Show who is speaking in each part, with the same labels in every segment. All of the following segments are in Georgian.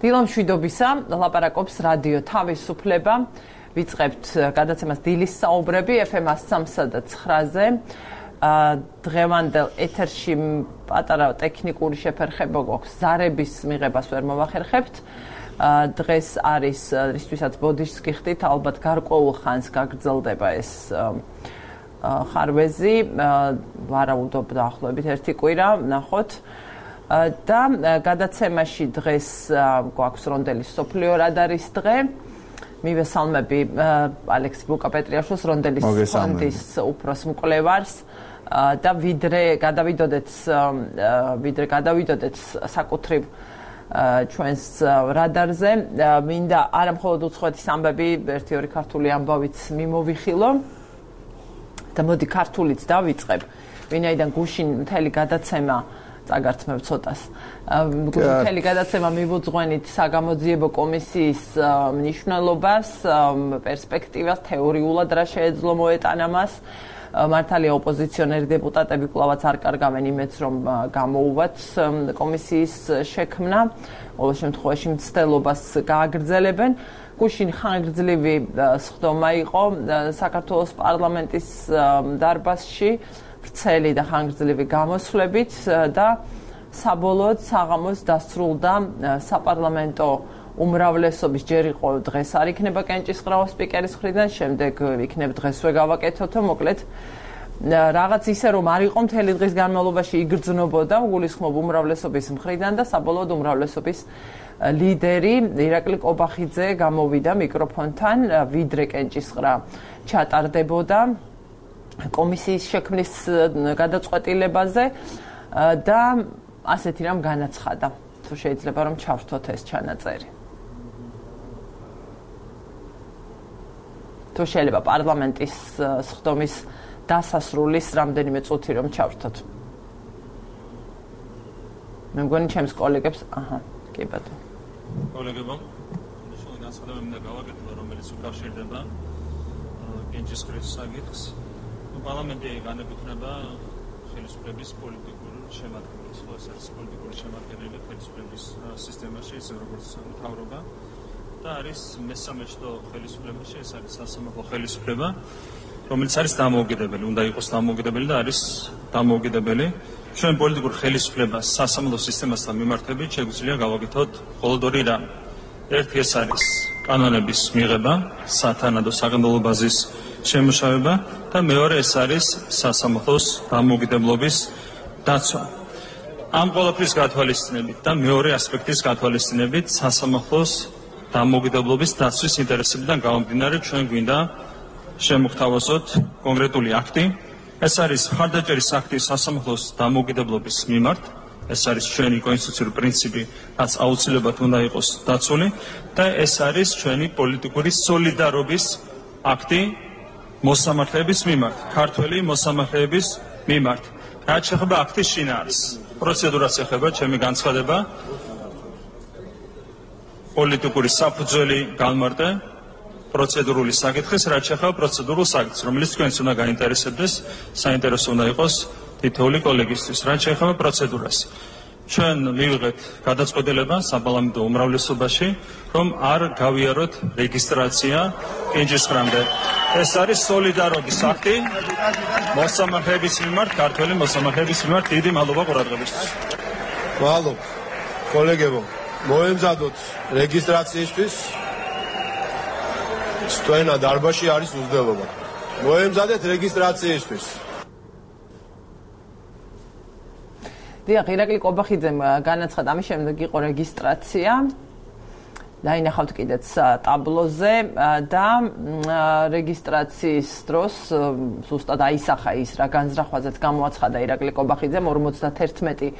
Speaker 1: დილამშვიდობისა, ლაპარაკობს რადიო თავისუფლება. ვიწყებთ გადაცემას დილის საუბრები FM 103-ზე. დღევანდელ ეთერში პატარა ტექნიკური შეფერხება გვაქვს, ზარების მიღებას ვერ მოვახერხებთ. დღეს არის რისთვისაც ბოდიშს გიხდით, ალბათ გარკვეულ ხანს გაგრძელდება ეს ხარვეზი, ვარაუდობ დაახლოებით 1 კვირა, ნახოთ. და გადაცემაში დღეს გვაქვს რონდელის სოფლიო რადარის დღე. მივესალმები ალექსი ბუკა-პეტრიაშვილს, რონდელის ფონდის უფროს მკვლევარს და ვიდრე გადავიდოდეთ საკუთრივ ჩვენს რადარზე, მინდა არა მხოლოდ უცხოეთის ამბები, 1-2 ქართული ამბავიც მიმოვიხილო და მოდი ქართულიც დავიწყებ, ვინაიდან გუშინ მთელი გადაცემა წაგართმევ ცოტას. მთელი გადაცემა მივუძღვენით საგამოძიებო კომისიის მნიშვნელობას, პერსპექტივას, თეორიულად რა შეეძლო მოეტანა მას. მართალია ოპოზიციონერი დეპუტატები კვლავაც არ კარგავენ იმედს, რომ გამოუვათ კომისიის შექმნა, ყოველ შემთხვევაში მცდელობას გააგრძელებენ. გუშინ ხანგრძლივი სხდომა იყო საქართველოს პარლამენტის დარბაზში, ვრცელი და ხანგრძლივი გამოსვლებით და საბოლოოდ საღამოს დასრულდა საპარლამენტო უმრავლესობის, ჯერ იყო დღეს არ იქნება კენჭისყრავა სპიკერის მხრიდან, შემდეგ იქნებ დღესვე გავაკეთოთო, მოკლედ რაღაც ისე რომ არ იყო მთელი დღის განმავლობაში იგრძნობოდა, გულისხმობ უმრავლესობის მხრიდან და საბოლოოდ უმრავლესობის ლიდერი ირაკლი კობახიძე გამოვიდა მიკროფონთან, ვიდრე კენჭისყრა ჩატარდებოდა კომისიის შექმნის გადაწყვეტილებაზე და ასეთი რამ განაცხადა, თუ შეიძლება რომ ჩავრთოთ ეს ჩანაწერი. თუ შეიძლება პარლამენტის სხდომის დასასრულის რამდენიმე წუთი რომ ჩავრთოთ. მე მგონი ჩემს კოლეგებს, კი ბატონო.
Speaker 2: კოლეგებო, შენ განსხვავება მინდა გავაკეთო, რომელიც უკავშირდება კენჭისყრის საკითხს. პარლამენტი განეკუთვნება ხელისუფლების პოლიტიკურ შემადგენლობას, ხო, ეს არის პოლიტიკური შემადგენელი ხელისუფლების სისტემაში, ისე როგორც მთავრობა და არის მესამე შტო ხელისუფლებაში, ეს არის სასამართლო ხელისუფლება, რომელიც არის დამოუკიდებელი, უნდა იყოს დამოუკიდებელი და არის დამოუკიდებელი. ჩვენ პოლიტიკურ ხელისუფლებას სასამართლო სისტემასთან მიმართებით შეგვიძლია გავაკეთოთ მხოლოდ 2 რამ. ერთი ეს არის კანონების მიღება, სათანადო საკანონმდებლო ბაზის შემუშავება და მეორე ეს არის სასამართლოს დამოუკიდებლობის დაცვა. ამ ყველაფრის გათვალისწინებით და მეორე ასპექტის გათვალისწინებით სასამართლოს დამოუკიდებლობის დაცვის ინტერესებიდან გამომდინარე ჩვენ გვინდა შემოგთავაზოთ კონკრეტული აქტი. ეს არის მხარდაჭერის აქტი სასამართლოს დამოუკიდებლობის მიმართ. ეს არის ჩვენი კონსტიტუციური პრინციპი, რაც აუცილებლად უნდა იყოს დაცული და ეს არის ჩვენი პოლიტიკური სოლიდარობის აქტი მოსამართლეების მიმართ, ქართველი მოსამართლეების მიმართ. რაც შეეხება აქტის შინაარსს, პროცედურას ეხება ჩემი განცხადება, პოლიტიკური საფუძველი განმარტე პროცედურული საკითხის, რაც შეეხება პროცედურულ საკითხს, რომელიც თქვენს უნდა გაინტერესებდეს, საინტერესო უნდა იყოს თითოეული კოლეგისთვის, რაც შეეხება პროცედურას. ჩვენ მივიღეთ გადაწყვეტილება საპარლამენტო უმრავლესობაში, რომ არ გავიაროთ რეგისტრაცია კენჭისყრამდე. ეს არის სოლიდარობის აქტი მოსამართლეების მიმართ, ქართველი მოსამართლეების მიმართ. დიდი მადლობა ყურადღებისთვის.
Speaker 3: მადლობა. კოლეგებო, მოემზადოთ რეგისტრაციისთვის. სტენა დარბაზში არის უზრდელობა. მოემზადეთ რეგისტრაციისთვის.
Speaker 1: დიახ, ირაკლი კობახიძემ განაცხადა, ამის შემდეგ იყო რეგისტრაცია. დაინახავთ კიდეც ტაბლოზე და რეგისტრაციის დროს ზუსტად აისახა ის რა განზრახვაზეც გამოაცხადა ირაკლი კობახიძემ, 51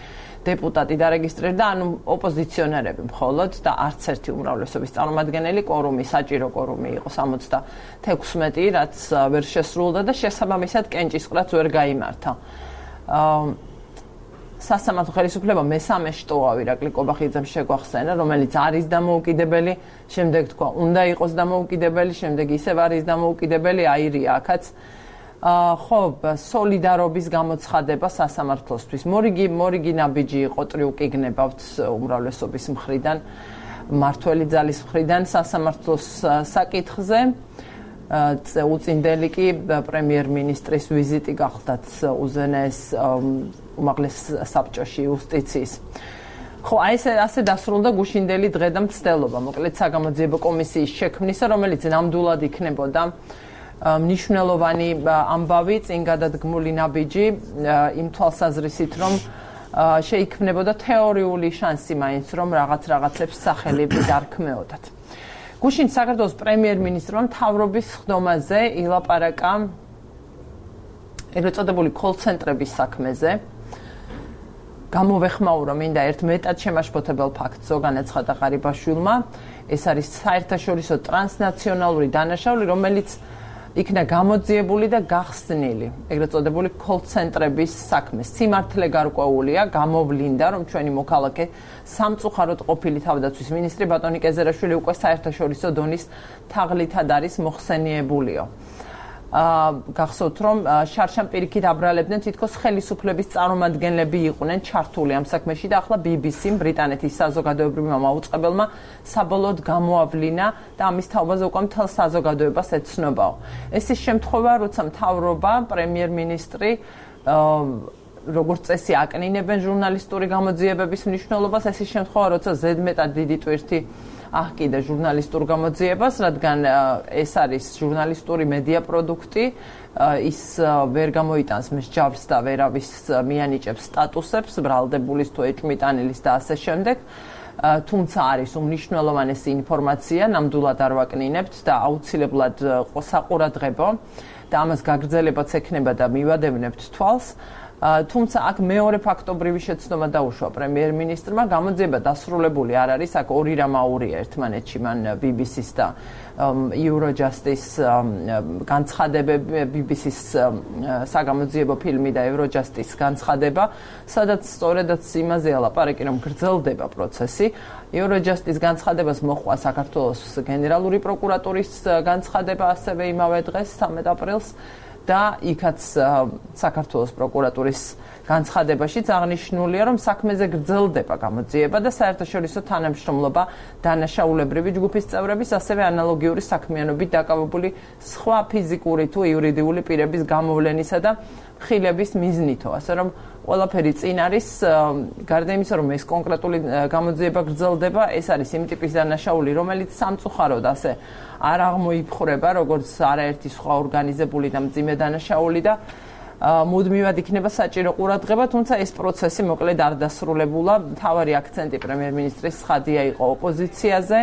Speaker 1: დეპუტატი დარეგისტრირდა, ანუ ოპოზიციონერები მხოლოდ და არც ერთი უმრავლესობის წარმომადგენელი, კვორუმი, საჭირო კვორუმი იყო 76, რაც ვერ შესრულდა და შესაბამისად კენჭისყრაც ვერ გაიმართა. სასამართლო ხელისუფლება მესამე შტოა, ირაკლი კობახიძემ შეგვახსენა, რომელიც არის დამოუკიდებელი, შემდეგ თქვა, უნდა იყოს დამოუკიდებელი, შემდეგ ისევ არის დამოუკიდებელი, აირია აქაც. ხო, სოლიდარობის გამოცხადება სასამართლოსთვის. მორიგი ნაბიჯი იყო ტრიუკი გნებავთ უმრავლესობის მხრიდან. მართველი ძალის მხრიდან სასამართლოს საკითხზე. უწინდელი კი პრემიერ-მინისტრის ვიზიტი გახლდათ უზენაეს უმაღლეს საბჭოში იუსტიციის. ხო, აი ასე დასრულდა გუშინდელი დღე და მცდელობა. მოკლედ საგამოძიებო კომისიის შექმნისა, რომელიც ნამდვილად იქნებოდა მნიშვნელოვანი ამბავი, წინ გადადგმული ნაბიჯი იმ თვალსაზრისით, რომ შეიქმნებოდა თეორიული შანსი მაინც, რომ რაღაცებს სახელი დარქმეოდათ. გუშინ საქართველოს პრემიერ-მინისტრმა მთავრობის ხდომაზე ილაპარაკა ეგრეთ წოდებული კოლ-ცენტრების საქმეზე. გამოვეხმაურო მინდა ერთ მეტად შემაშფოთებელ ფაქტს, განაცხადა ღარიბაშვილმა. ეს არის საერთაშორისო ტრანსნაციონალური დანაშაული, რომელიც იქნა გამოძიებული და გახსნილი. ეგრეთ წოდებული კოლ-ცენტრების საქმე. სიმართლე გარკვეულია, გამოვლინდა, რომ ჩვენი მოქალაქე სამწუხაროდ ყოფილი თავდაცვის მინისტრი ბატონი კეზერაშვილი უკვე საერთაშორისო დონის თაღლითად არის მოხსენიებულიო. გახსოვთ, რომ შარშან პირიქით აბრალებდნენ თითქოს ხელისუფლების წარმომადგენლები იყვნენ ჩართული ამ საქმეში და ახლა BBC-მ ბრიტანეთის საზოგადოებრივმა მაუწყებელმა საბოლოოდ გამოავლინა და ამის თაობაზე უკვე მთელ საზოგადოებას ეცნობაო. ეს ის შემთხვევა, როცა მთავრობა, პრემიერ-მინისტრი როგორც წესი აკნინებენ ჟურნალისტური გამოძიებების მნიშვნელობას, ეს ის შემთხვევა, როცა ზედმეტად დიდი ტვირთი აჰკიდა ჟურნალისტურ გამოძიებას, რადგან ეს არის ჟურნალისტური მედია პროდუქტი, ის ვერ გამოიტანს მსჯავრს და ვერავის მიანიჭებს სტატუსებს, ბრალდებულის თუ ეჭვმიტანილის და ასე შემდეგ. თუმცა არის უმნიშვნელოვანესი ინფორმაცია, ნამდვილად არ ვაკნინებთ და აუცილებლად საყურადღებო და ამას გაგრძელებაც ექნება და მივადევნებთ თვალს. თუმცა აქ მეორე ფაქტობრივი შეცდომა დაუშვა პრემიერ-მინისტრმა, გამოძიება დასრულებული არ არის, აქ ორი რამ აურია ერთმანეთში, მან BBC-ს და Eurojust-ის განცხადებები, BBC-ს საგამოძიებო ფილმი და Eurojust-ის განცხადება, სადაც სწორედაც იმაზეა ლაპარაკი, რომ გრძელდება პროცესი. Eurojust-ის განცხადებას მოჰყვა საქართველოს გენერალური პროკურატურის განცხადება ასევე იმავე დღეს 13 აპრილს. და იქაც საქართველოს პროკურატურის განცხადებაშიც აღნიშნულია, რომ საქმეზე გრძელდება გამოძიება და საერთაშორისო თანამშრომლობა დანაშაულებრივი ჯგუფის წევრების, ასევე ანალოგიური საქმიანობით დაკავებული სხვა ფიზიკური თუ იურიდიული პირების გამოვლენისა და ხილების მიზნითო, ასე რომ ყველაფერი წინ არის, გარდა იმისა, რომ ეს კონკრეტული გამოძიება გრძელდება, ეს არის იმ ტიპის დანაშაული, რომელიც სამწუხაროდ ასე არ აღმოიფხვრება, როგორც არაერთი სხვა ორგანიზებული და მძიმე დანაშაული და მუდმივად იქნება საჭირო ყურადღება, თუმცა ეს პროცესი მოკლედ არ დასრულებულა. მთავარი აქცენტი პრემიერ-მინისტრის ცხადია იყო ოპოზიციაზე,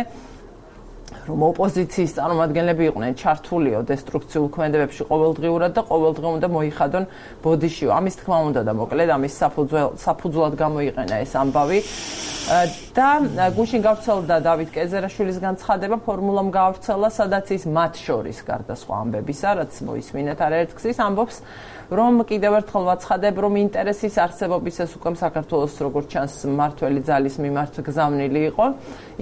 Speaker 1: რომ ოპოზიციის წარმომადგენლები იყვნენ ჩართულიო დესტრუქციულ ქმედებებში ყოველდღიურად და ყოველდღე უნდა მოიხადონ ბოდიშიო. ამის თქმა უნდა და მოკლედ ამის საფუძვლად გამოიყენა ეს ამბავი. და გუშინ გავრცელდა დავით კეზერაშვილის განცხადება, ფორმულამ გავრცელა, სადაც ის მათ შორის გარდა სხვა ამბებისა, რაც მოისმინეთ არაერთგზის, ამბობს, რომ კიდევ ერთხელ ვაცხადებ, რომ ინტერესის არსებობის ეს უკვე საქართველოს როგორც ჩანს მმართველი ძალის მიმართ გზავნილი იყო.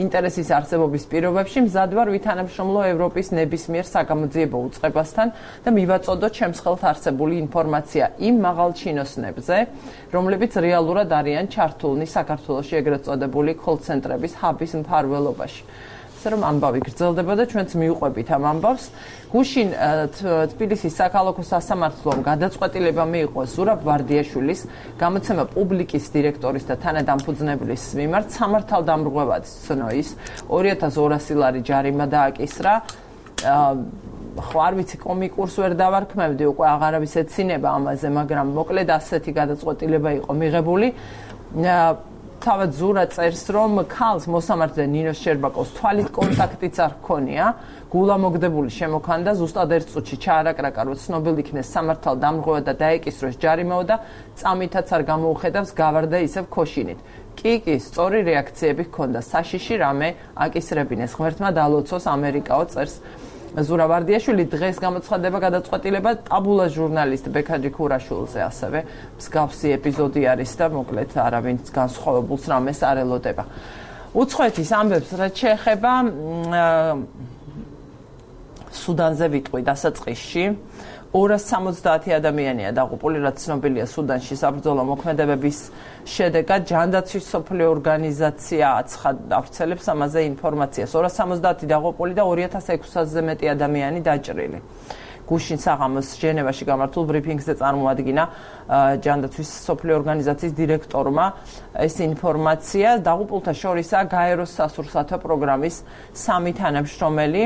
Speaker 1: ინტერესის არსებობის პირობებში მზად ვარ ვითანამშრომლო ევროპის ნებისმიერ საგამოძიებო უწყებასთან და მივაწოდოთ ჩემს ხელთ არსებული ინფორმაცია იმ მაღალჩინოსნებზე, რომლებიც რეალურად არიან ჩართულნი საქართველოში ეგრეთ წოდებული კოლ-ცენტრების ჰაბის მფარველობაში. რომ ამბავი გრძელდება და ჩვენც მიუყვებით ამ ამბავს. გუშინ თბილისის საქალაქო სასამართლომ გადაწყვეტილება მიიღო ზურაბ ვარდიაშვილის გამოცემა პუბლიკის დირექტორის და თანადამფუძნებლის მიმართ სამართალდამრღვევად ცნოის 2200 ლარი ჯარიმა დააკისრა. ხო არ ვიცი, კომიკურს ვერ დავარქმევდი, უკვე აღარავის ეცინება ამაზე, მაგრამ მოკლედ ასეთი გადაწყვეტილება იყო მიღებული. თავად ზურა წერს, რომ ქალს მოსამართლე ნინოს შერბაკოვს თვალით კონტაქტიც არ ჰქონია, გულა მოგდებული შემოქანდა, ზუსტად ერთ წუთში ჩაარაკრაკა, რომ ცნობილ იქნეს სამართალდამრღვევა და დაეკისროს ჯარიმაო და წამითაც არ გამოუხედავს, გავარდა ისევ ქოშინით. კი, სწორი რეაქციები ჰქონდა, საშიში რამე აკისრებინეს, ღმერთმა დალოცოს, ამერიკაო წერს ზურა ვარდიაშვილი. დღეს გამოცხადება გადაწყვეტილება ტაბულა ჟურნალისტ ბექაჯი ქურაშვილზე, ასევე მსგავსი ეპიზოდი არის და მოკლედ არავინც განსხვავებულს რამეს არ ელოდება. უცხოეთის ამბებს რაც შეეხება სუდანზე ვიტყვი დასაწყისში 270 ადამიანია დაღუპული, რაც ცნობილია სუდანში საბრძოლო მოქმედებების შედეგად. ჯანდაცვის მსოფლიო ორგანიზაცია აცხადებს ამაზე ინფორმაციას. 270 დაღუპული და 2600-ზე მეტი ადამიანი დაჭრილი. გუშინ საღამოს ჟენევაში გამართულ ბრიფინგზე წარმოადგინა ჯანდაცვის მსოფლიო ორგანიზაციის დირექტორმა ეს ინფორმაცია. დაღუპულთა შორისაა გაეროს სასურსათო პროგრამის 3 თანამშრომელი.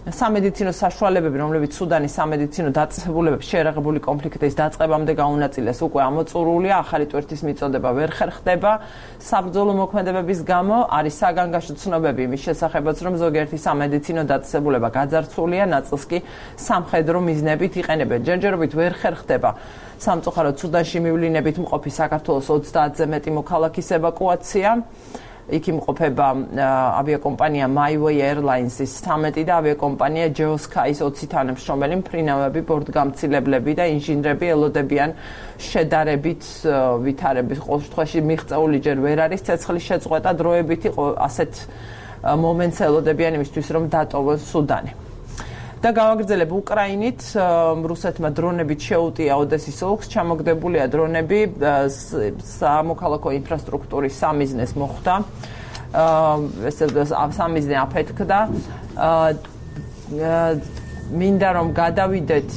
Speaker 1: სამედიცინო საშუალებები, რომლებიც სუდანის სამედიცინო დაწესებულებებს შეერაღებული კონფლიქტის დაწყებამდე გაუნაწილეს, უკვე ამოწურულია, ახალი ტვირთის მიწოდება ვერ ხერხდება. საბრძოლო მოქმედებების გამო არის საგანგაშო ცნობები იმის შესახებაც, რომ ზოგიერთი სამედიცინო დაწესებულება გაძარცვულია, ნაწილს კი სამხედრო მიზნებით იყენებენ. ჯერჯერობით ვერ ხერხდება სამწუხაროდ სუდანში მივლინებით მყოფი საქართველოს 30-ზე მეტი მოქალაქის ევაკუაცია. იქ იმყოფება ავიაკომპანია MyWay Airlines-ის 13 და ავიაკომპანია Geosky-ის 20 თანამშრომელი, მფრინავები, ბორტგამცილებლები და ინჟინრები ელოდებიან შედარებით ვითარების. ყოველ შემთხვევაში მიღწეული ჯერ ვერ არის ცეცხლის შეწყვეტა, დროებით იყო ასეთ მომენტს ელოდებიან იმისთვის, რომ დატოვონ სუდანი. და გავაგრძელებ უკრაინით, რუსეთმა დრონებით შეუტია ოდესის ოლქს, ჩამოგდებულია დრონები, სამოქალაქო ინფრასტრუქტურის სამიზნეს მოხვდა, სამიზნე აფეთქდა. მინდა რომ გადავიდეთ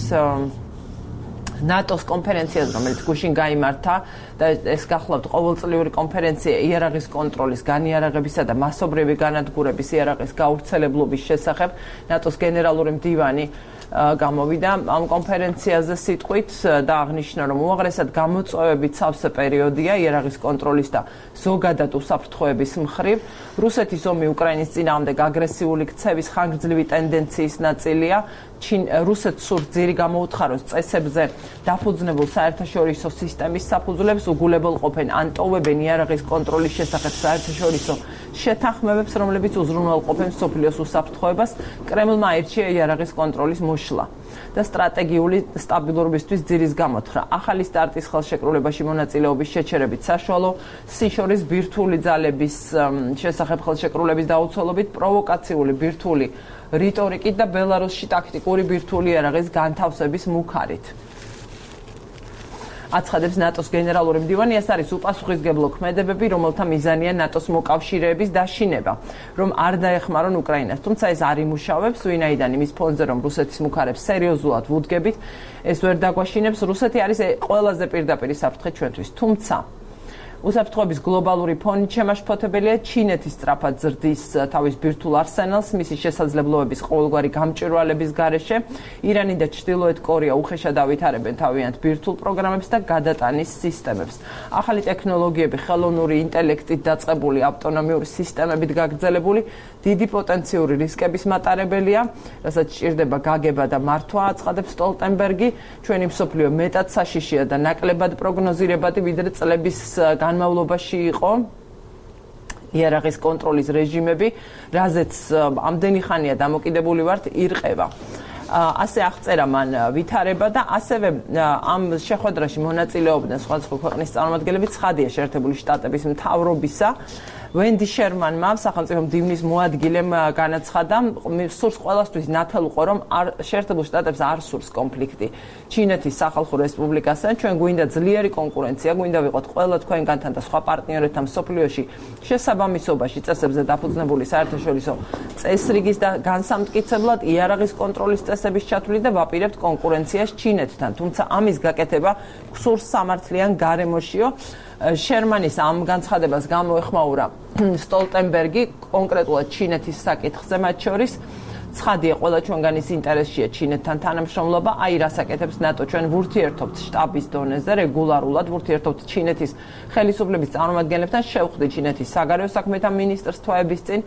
Speaker 1: ნატოს კონფერენციაზე, რომელიც გუშინ გაიმართა და ეს გახლავთ ყოველწლიური კონფერენცია იარაღის კონტროლის, განიარაღებისა და მასობრივი განადგურების იარაღის გავრცელებლობის შესახებ. ნატოს გენერალური მდივანი გამოვიდა ამ კონფერენციაზე სიტყვით და აღნიშნა, რომ უაღრესად გამოწვევებით სავსე პერიოდია იარაღის კონტროლის და ზოგადად უსაფრთხოების მხრივ. რუსეთის ომი უკრაინის წინააღმდეგ აგრესიული ქცევის ხანგრძლივი ტენდენციის ნაწილია. რუსეთს სურს ძირი გამოუთხაროს წესებზე დაფუძნებულ საერთაშორისო სისტემის საფუძვლებს, უგულებელყოფენ ან ტოვებენ იარაღის კონტროლის შესახებ საერთაშორისო შეთანხმებებს, რომლებიც უზრუნველყოფენ მსოფლიოს უსაფრთხოებას. კრემლმა აირჩია იარაღის კონტროლის მოშლა და სტრატეგიული სტაბილურობისთვის ძირის გამოთხრა. ახალი სტარტის ხელშეკრულებაში მონაწილეობის შეჩერებით საშუალო სიშორის ბირთვული ძალების შესახებ ხელშეკრულების დაუცველობით, პროვოკაციული ბირთვული რიტორიკით და ბელარუსში ტაქტიკური ბირთვული იარაღის განთავსების მუქარით. აცხადებს ნატოს გენერალური მდივანი, ეს არის უპასუხისმგებლო ქმედებები, რომელთა მიზანია ნატოს მოკავშირეების დაშინება, რომ არ დაეხმარონ უკრაინას. თუმცა ეს არ იმუშავებს, ვინაიდან იმის ფონზე, რომ რუსეთის მუქარებს სერიოზულად ვუდგებით, ეს ვერ დაგვაშინებს. რუსეთი არის ყველაზე პირდაპირი საფრთხე ჩვენთვის. თუმცა უსაფრთხოების გლობალური ფონით შემაშფოთებელია ჩინეთის სწრაფად ზრდის თავის ბირთვულ არსენალს, მისი შესაძლებლობების ყოველგვარი გამჭვირვალების გარეშე. ირანი და ჩრდილოეთ კორეა უხეშად ავითარებენ თავიანთ ბირთვულ პროგრამებს და გადატანის სისტემებს. ახალი ტექნოლოგიები, ხელოვნური ინტელექტით დაწყებული ავტონომიური სისტემებით გაგრძელებული, დიდი პოტენციური რისკების მატარებელია, რასაც სჭირდება გაგება და მართვა, აცხადებს სტოლტენბერგი. ჩვენი მსოფლიო მეტად საშიშია და ნაკლებად პროგნოზირებადი, ვიდრე წლების განმავლობაში იყო იარაღის კონტროლის რეჟიმები, რაზეც ამდენი ხანია დამოკიდებული ვართ, ირყევა. ასე აღწერა მან ვითარება და ასევე ამ შეხვედრაში მონაწილეობდნენ სხვადასხვა ქვეყნის წარმომადგენლები, ცხადია შეერთებული შტატების მთავრობისა. ვენდი შერმანმა, სახელმწიფო მდივნის მოადგილემ განაცხადა, სურს ყველასთვის ნათელუყო, რომ შეერთებულ შტატებს არ სურს კონფლიქტი ჩინეთის სახალხო რესპუბლიკასთან. ჩვენ გვინდა ძლიერი კონკურენცია, გვინდა ვიყოთ ყველა თქვენგანთან და სხვა პარტნიორებთან მსოფლიოში შესაბამისობაში წესებზე დაფუძნებული საერთაშორისო წესრიგის და განსამტკიცებლად იარაღის კონტროლის წესების ჩათვლით და ვაპირებთ კონკურენციას ჩინეთთან. თუმცა ამის გაკეთება გსურს სამართლიან გარემოშიო. შერმანის ამ განცხადებას გამოეხმაურა სტოლტენბერგი, კონკრეტულად ჩინეთის საკითხზე მათ შორის. ცხადია, ყველა ჩვენგანის ინტერესშია ჩინეთთან თანამშრომლობა, აი რას აკეთებს ნატო. ჩვენ ვურთიერთობთ შტაბის დონეზე რეგულარულად, ვურთიერთობთ ჩინეთის ხელისუფლების წარმომადგენლებთან, შევხვდი ჩინეთის საგარეო საქმეთა მინისტრს თვეების წინ.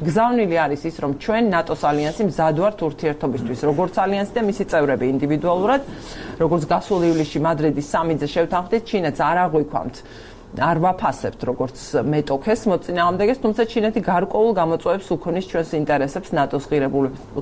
Speaker 1: გზავნილი არის ის, რომ ჩვენ ნატოს ალიანსი მზად ვართ ურთიერთობისთვის, როგორც ალიანსი და მისი წევრები ინდივიდუალურად, როგორც გასულ ივლისში მადრიდის სამიტზე შევთანხმდით, ჩინეთს არ აღვიქვამთ. არ ვაფასებთ როგორც მეტოქეს მოწინააღმდეგეს, თუმცა ჩინეთი გარკვეულ გამოწვევებს უქონის ჩვენს ინტერესებს ნატოს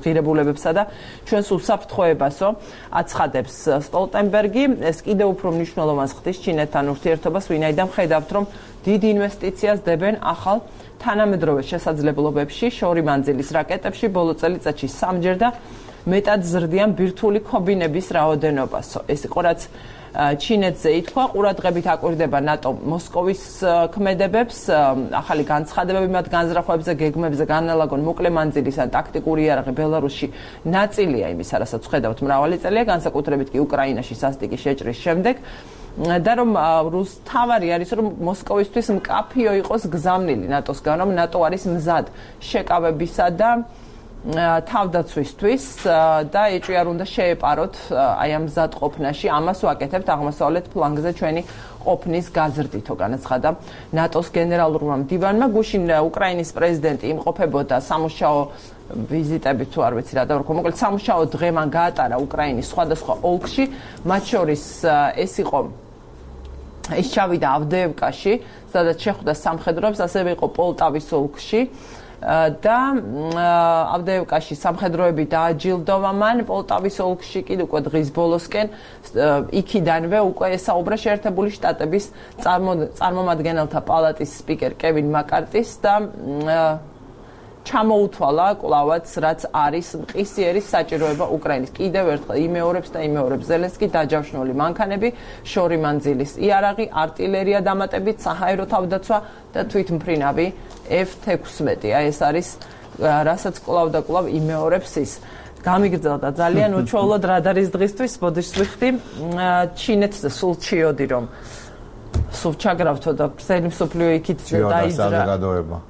Speaker 1: ღირებულებებსა და ჩვენს უსაფრთხოებასო, აცხადებს სტოლტენბერგი. ეს კიდევ უფრო მნიშვნელოვანს ხდის ჩინეთთან ურთიერთობას, ვინაიდან ხედავთ, რომ დიდ ინვესტიციას დებენ ახალ თანამედროვე შესაძლებლობებში, შორი მანძილის რაკეტებში, ბოლო წელიწადში 3-ჯერ და მეტად ზრდიან ბირთვული ქობინების რაოდენობასო. ეს იყო რაც ჩინეთზე ითქვა, ყურადღებით აკვირდება ნატო მოსკოვის ქმედებებს, ახალი განცხადებები მათ განზრახვებზე, გეგმებზე განალაგონ მოკლე მანძილის ან ტაქტიკური იარაღი ბელარუსში ნაწილია იმისა, რასაც ხედავთ მრავალი წელია, განსაკუთრებით კი უკრაინაში სასტიკი შეჭრის შემდეგ. და რომ თავარი არის რომ მოსკოვისთვის მკაფიო იყოს გზავნილი ნატოსგან, რომ ნატო არის მზად შეკავებისა და თავდაცვისთვის და ეჭვი არ უნდა შეეპაროთ აი ამ მზად ყოფნაში. ამას ვაკეთებთ აღმოსავლეთ ფლანგზე ჩვენი ყოფნის გაზრდითო, განაცხადა ნატოს გენერალურმა მდივანმა. გუშინ უკრაინის პრეზიდენტი იმყოფებოდა სამუშაო ვიზიტებით, თუ არ ვიცი რა დავარქვა, მოკლედ სამუშაო დღე მან გაატარა უკრაინის სხვადასხვა ოლქში, მათ შორის ეს იყო ის ჩავიდა ავდეევკაში, სადაც შეხვდა სამხედროებს, ასევე იყო პოლტავის ოლქში და ავდეევკაში სამხედროები დააჯილდოვა მან, პოლტავის ოლქში კიდე უკვე დღის ბოლოსკენ იქიდანვე უკვე ესაუბრა შეერთებული შტატების წარმომადგენელთა პალატის სპიკერ კევინ მაკარტის და ჩამოუთვალა კლავაც რაც არის მყისიერი საჭიროება უკრაინის. კიდევ ერთხელ იმეორებს ზელენსკი დაჯავშნული მანქანები, შორი მანძილის იარაღი, არტილერია დამატებით, საჰაერო თავდაცვა და თვითმფრინავი F-16. აი ეს არის რასაც კლავ და კლავ იმეორებს ის. გამიგრძელდა ძალიან უჩვეულოდ რადარის დღისთვის, ბოდიშს ვიხდი ჩინეთზე სულ ჩიოდი რომ სულ ჩაგრავთო და მთელი მსოფლიო იქით დაიძრა.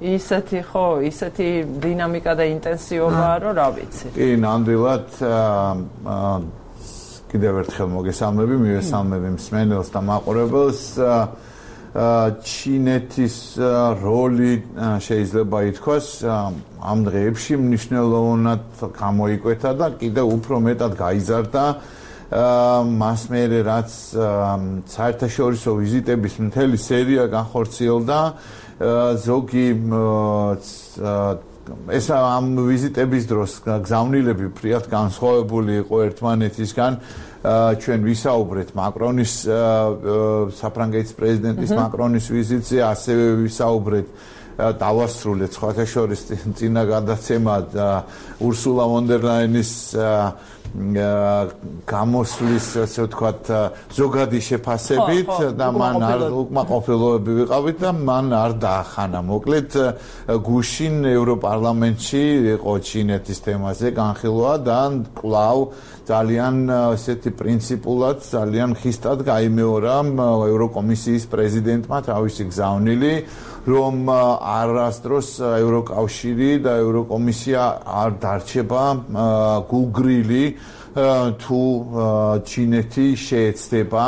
Speaker 1: ისეთი ხო, ისეთი დინამიკა და ინტენსივობაა, რომ რა ვიცი.
Speaker 4: კი, ნამდვილად კიდევ ერთხელ მოგესალმები, მივესალმები მსმენელს და მაყურებელს. ჩინეთის როლი შეიძლება ითქვას ამ დღეებში მნიშვნელოვნად გამოიკვეთა და კიდევ უფრო მეტად გაიზარდა მას მერე რაც საერთაშორისო ვიზიტების მთელი სერია განხორციელდა. ზოგი ეს ამ ვიზიტების დროს გზავნილები ფრიად განსხვავებული იყო ერთმანეთისგან. ჩვენ ვისაუბრეთ მაკრონის საფრანგეთის პრეზიდენტის მაკრონის ვიზიტზე, ასევე ვისაუბრეთ დავასრულეთ სხვათა შორის წინა გადაცემა ურსულა ვონ დერ ლაინის გამოსვლის, ასე ვთქვათ, ზოგადი შეფასებით და მან არ უკმაყოფილოები ვიყავით და მან არ დაახანა. მოკლედ გუშინ ევროპარლამენტში იყო ჩინეთის თემაზე განხილვა და კვლავ ძალიან ესეთი პრინციპულად, ძალიან ხისტად გაიმეორა ევროკომისიის პრეზიდენტმა თავისი გზავნილი, რომ არასდროს ევროკავშირი და ევროკომისია არ დარჩება გულგრილი თუ ჩინეთი შეეცდება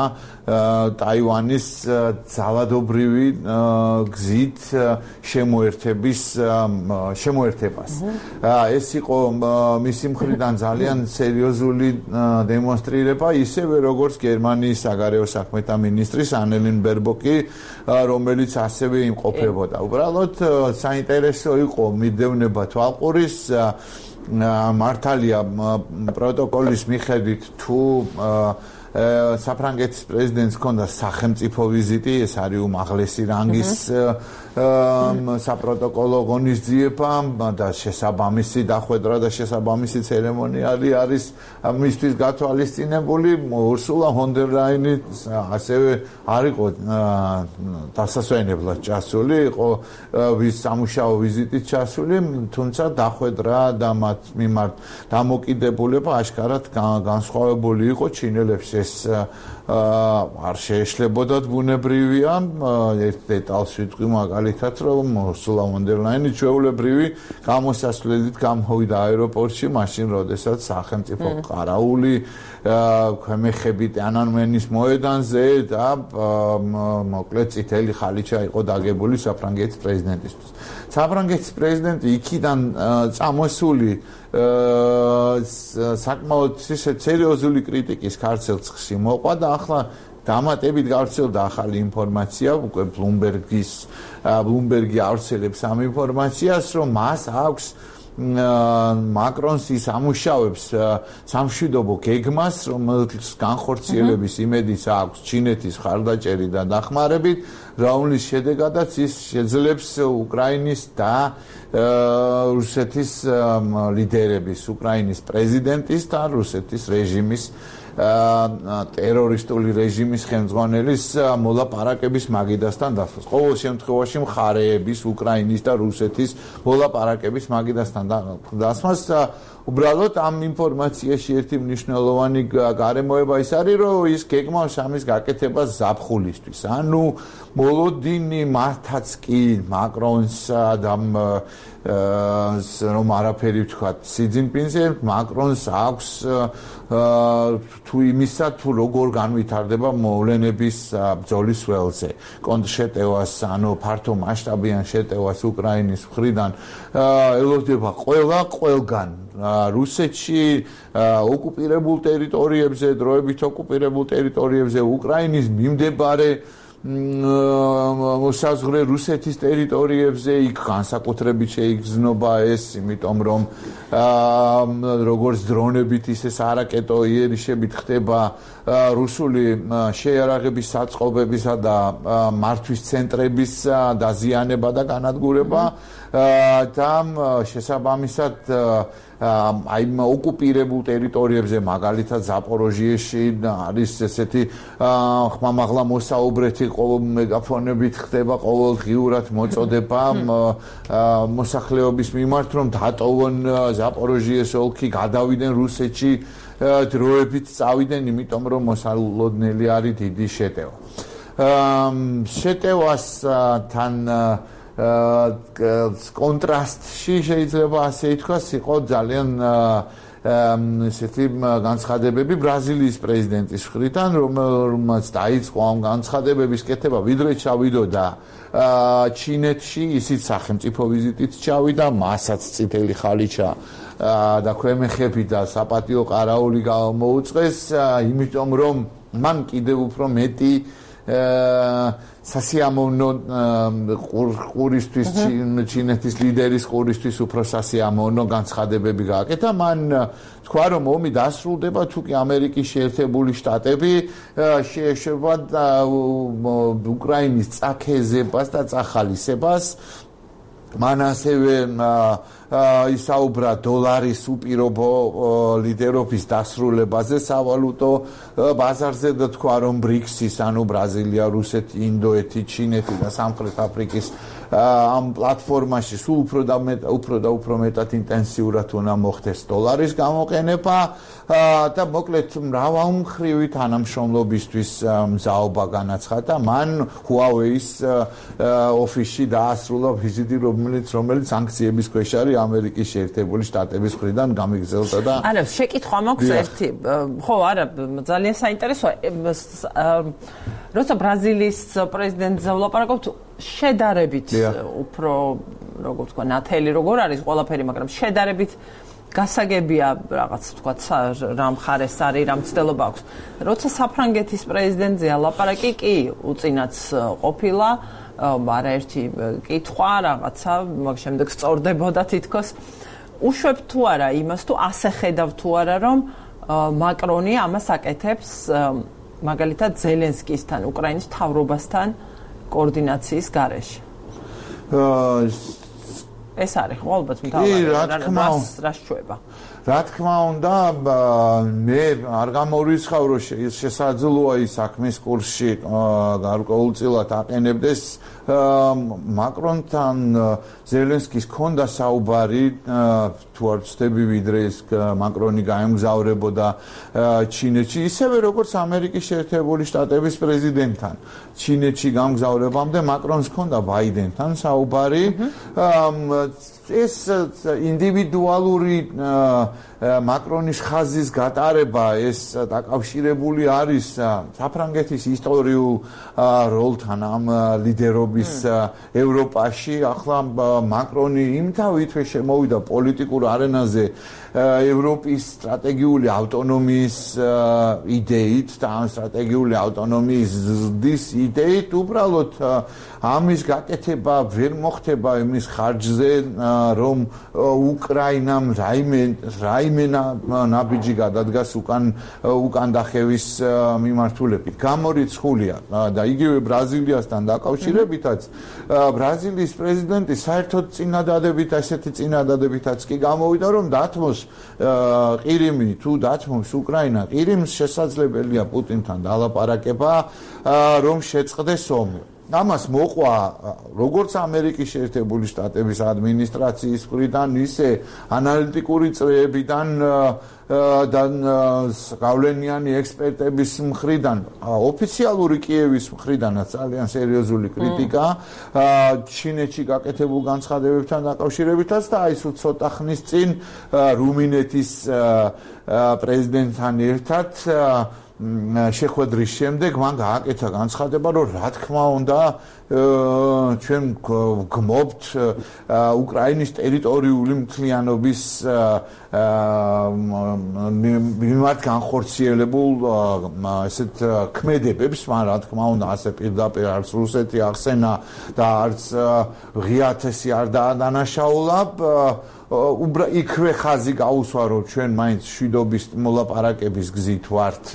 Speaker 4: ტაივანის ძალადობრივი გზით შემოერთებას. ეს იყო მისი მხრიდან ძალიან სერიოზული დემონსტრირება, ისევე როგორც გერმანიის საგარეო საქმეთა მინისტრის ანელინ ბერბოკი, რომელიც ასევე იმყოფებოდა. უბრალოდ საინტერესო იყო მიდევნება თვალყურის მართალია პროტოკოლის მიხედვით თუ საფრანგეთის პრეზიდენტს ჰქონდა სახელმწიფო ვიზიტი, ეს არის უმაღლესი რანგის საპროტოკოლო ღონისძიება და შესაბამისი დახვედრა და შესაბამისი ცერემონიალი არის მისთვის გათვალისწინებული. ურსულა ვონ დერ ლაინი ასევე არ იყო დასასვენებლად ჩასული, იყო სამუშაო ვიზიტით ჩასული, თუმცა დახვედრა და მათ მიმართ დამოკიდებულება აშკარად განსხვავებული იყო. ჩინელებს ეს არ შეეშლებოდათ, ბუნებრივია. ერთ დეტალს ვიტყვი მაგალითად, რომ ურსულა ვონ დერ ლაინი ჩვეულებრივი გამოსასვლელით გამოვიდა აეროპორტში, მაშინ როდესაც სახელმწიფო ყარაული ქვემეხები ტიანანმენის მოედანზე და მოკლედ წითელი ხალიჩა იყო დაგებული საფრანგეთის პრეზიდენტისთვის. საფრანგეთის პრეზიდენტი იქიდან წამოსული საკმაოდ სერიოზული კრიტიკის ქარცელცხში მოყვა და ახლა დამატებით გავრცელდა ახალი ინფორმაცია, უკვე ბლუმბერგი ავრცელებს ამ ინფორმაციას, რომ მას აქვს მაკრონს ის ამუშავებს სამშვიდობო გეგმას, რომელიც განხორციელების იმედიც აქვს ჩინეთის ხარდაჭერი და დახმარებით, რომლის შედეგადაც ის შეძლებს უკრაინის და რუსეთის ლიდერების, უკრაინის პრეზიდენტის და რუსეთის რეჟიმის ტერორისტული რეჟიმის ხელმძღვანელის მოლაპარაკების მაგიდასთან დასვას. ყოველ შემთხვევაში მხარეების, უკრაინის და რუსეთის მოლაპარაკების მაგიდასთან დასვას. უბრალოდ ამ ინფორმაციაში ერთი მნიშვნელოვანი გარემოება ის არის, რომ ის გეგმავს ამის გაკეთებას ზაფხულისთვის. ანუ მოლოდინი მართაც კი მაკრონს და რომ არაფერი ვთქვათ სი ძინპინზე, მაკრონს აქვს თუ იმისა თუ როგორ განვითარდება მოვლენების ბრძოლის ველზე. შეტევას, ანუ ფართო მასშტაბიან შეტევას უკრაინის მხრიდან ელოდება ყველგან რუსეთში ოკუპირებულ ტერიტორიებზე, დროებით ოკუპირებულ ტერიტორიებზე, უკრაინის მიმდებარე მოსაზღვრე რუსეთის ტერიტორიებზე, იქ განსაკუთრებით შეიგრძნობა ეს, იმიტომ რომ როგორც დრონებით, ისე არაკეტო იერიშებით ხდება რუსული შეიარაღების საწყობებისა და მართვის ცენტრების დაზიანება და განადგურება და შესაბამისად აი ოკუპირებულ ტერიტორიებზე, მაგალითად ზაპოროჟიეში არის ესეთი ხმამაღლა მოსაუბრეთი მეგაფონებით ხდება ყოველდღიურად მოწოდება მოსახლეობის მიმართ, რომ დატოვონ ზაპოროჟიეს ოლქი, გადავიდნენ რუსეთში, დროებით წავიდნენ, იმიტომ რომ მოსალოდნელი არის დიდი შეტევა. შეტევასთან კონტრასტში შეიძლება ასე ითქვას, იყო ძალიან ესეთი განცხადებები ბრაზილიის პრეზიდენტის მხრიდან, რომელმაც დაიწყო ამ განცხადებების კეთება, ვიდრე ჩავიდოდა ჩინეთში, ისიც სახელმწიფო ვიზიტით ჩავიდა, მასაც წითელი ხალიჩა და ქვემეხები და საპატიო ყარაული მოუწყეს, იმიტომ რომ მან კიდევ უფრო მეტი სასიამოვნო ყურისთვის, ჩინეთის ლიდერის ყურისთვის უფრო სასიამოვნო განცხადებები გააკეთა. მან თქვა, რომ ომი დასრულდება, თუ კი ამერიკის შეერთებული შტატები შეეშვება უკრაინის წაქეზებას და წახალისებას. მან ასევე ისაუბრა დოლარის უპირობო ლიდერობის დასრულებაზე სავალუტო ბაზარზე და თქვა, რომ ბრიქსის, ანუ ბრაზილია, რუსეთი, ინდოეთი, ჩინეთი და სამხრეთ αφრიკის ამ პლატფორმაში სულ უფრო მეტად ინტენსიურად უნდა მოხდეს დოლარის გამოყენება და მოკლედ მრავალმხრივი თანამშრომლობისთვის მზაობა განაცხადა. მან Huawei-ის ოფისში დაასრულა ვიზიტი, რომელიც სანქციების ქვეშ არის ამერიკის შეერთებული შტატების მხრიდან გამიგზელდა და
Speaker 1: არა, შეკითხვა მაქვს ერთი. ხო, არა, ძალიან საინტერესოა. როცა ბრაზილიის პრეზიდენტზე ვლაპარაკობთ, შედარებით უფრო, როგორ ვთქვა, ნათელი როგორ არის ყველაფერი, მაგრამ შედარებით გასაგებია რაღაც ვთქვა, რა მხარეს არის, რა მცდელობა აქვს. როცა საფრანგეთის პრეზიდენტზეა ლაპარაკი, კი უწინაც ყოფილა, არაერთი კითხვა, რაღაცა, მაგ შემდეგ სწორდებოდა თითქოს. უშვებ თუ არა იმას, თუ ასე ხედავ თუ არა, რომ მაკრონი ამას აკეთებს მაგალითად ზელენსკისთან, უკრაინის მთავრობასთან კოორდინაციის გარეშე. ეს არის ხო ალბათ მთავარი რა შეება.
Speaker 4: რა თქმა უნდა, მე არ გამორიცხავ, რომ შესაძლოა ის საქმის კურსში გარკვეულწილად აყენებდეს მაკრონთან ზელენსკის ჰქონდა საუბარი, თუ არ ვცდები, ვიდრე ეს მაკრონი გაემგზავრებოდა ჩინეთში, ისევე როგორც ამერიკის შეერთებული შტატების პრეზიდენტთან. ჩინეთში გამგზავრებამდე მაკრონს ჰქონდა ბაიდენთან საუბარი. ეს ინდივიდუალური მაკრონის ხაზის გატარება ეს დაკავშირებული არის საფრანგეთის ისტორიულ როლთან ამ ლიდერობის ევროპაში. ახლა მაკრონი იმთავითვე შემოვიდა პოლიტიკურ არენაზე ევროპის სტრატეგიული ავტონომიის იდეით და ამ სტრატეგიული ავტონომიის ზრდის იდეით უბრალოდ ამის გაკეთება ვერ მოხდება იმის ხარჯზე რომ უკრაინამ რაიმე ნაბიჯი გადადგას უკან დახევის მიმართულებით. გამორიცხულია და იგივე ბრაზილიასთან დაკავშირებითაც ბრაზილიის პრეზიდენტი საერთოდ წინადადებითაც კი გამოვიდა რომ დათმოს ყირიმი თუ დათმობს უკრაინა ყირიმს შესაძლებელია პუტინთან დალაპარაკება რომ შეწყდეს ომი. ამას მოყვა როგორც ამერიკის შეერთებული შტატების ადმინისტრაციის მხრიდან, ისე ანალიტიკური წრეებიდან და გავლენიანი ექსპერტების მხრიდან, ოფიციალური კიევის მხრიდანაც ძალიან სერიოზული კრიტიკა ჩინეთში გაკეთებულ განცხადებებთან დაკავშირებითაც და აი ცოტა ხნის წინ რუმინეთის პრეზიდენტთან ერთად შეხვედრის შემდეგ მან გააკეთა განცხადება, რომ რა თქმა უნდა ჩვენ გმობთ უკრაინის ტერიტორიული მთლიანობის მიმართ განხორციელებულ ესეთ ქმედებებს, მაგრამ რა თქმა უნდა ასე პირდაპირ არც რუსეთი ახსენა და არც ღია-თესი არ დაადანაშაულა. იქვე ხაზი გაუსვა რომ ჩვენ მაინც მშვიდობის მოლაპარაკების გზით ვართ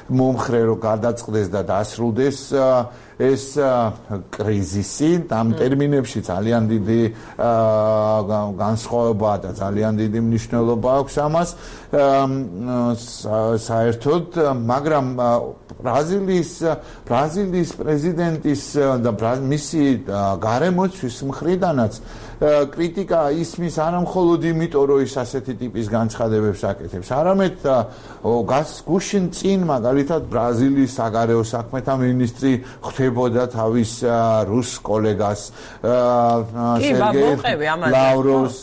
Speaker 4: მომხრე რომ გადაწყდეს და დასრულდეს ეს კრიზისი. ამ ტერმინებში ძალიან დიდი განსხვავება და ძალიან დიდი მნიშვნელობა აქვს ამას საერთოდ, მაგრამ ბრაზილიის პრეზიდენტის და მისი გარემოცვის მხრიდანაც კრიტიკა ისმის არა მხოლოდ იმიტომ, რომ ის ასეთი ტიპის განცხადებებს აკეთებს, არამედ გუშინ წინ მაგალითად ბრაზილიის საგარეო საქმეთა მინისტრი ხვდებოდა თავის რუს კოლეგას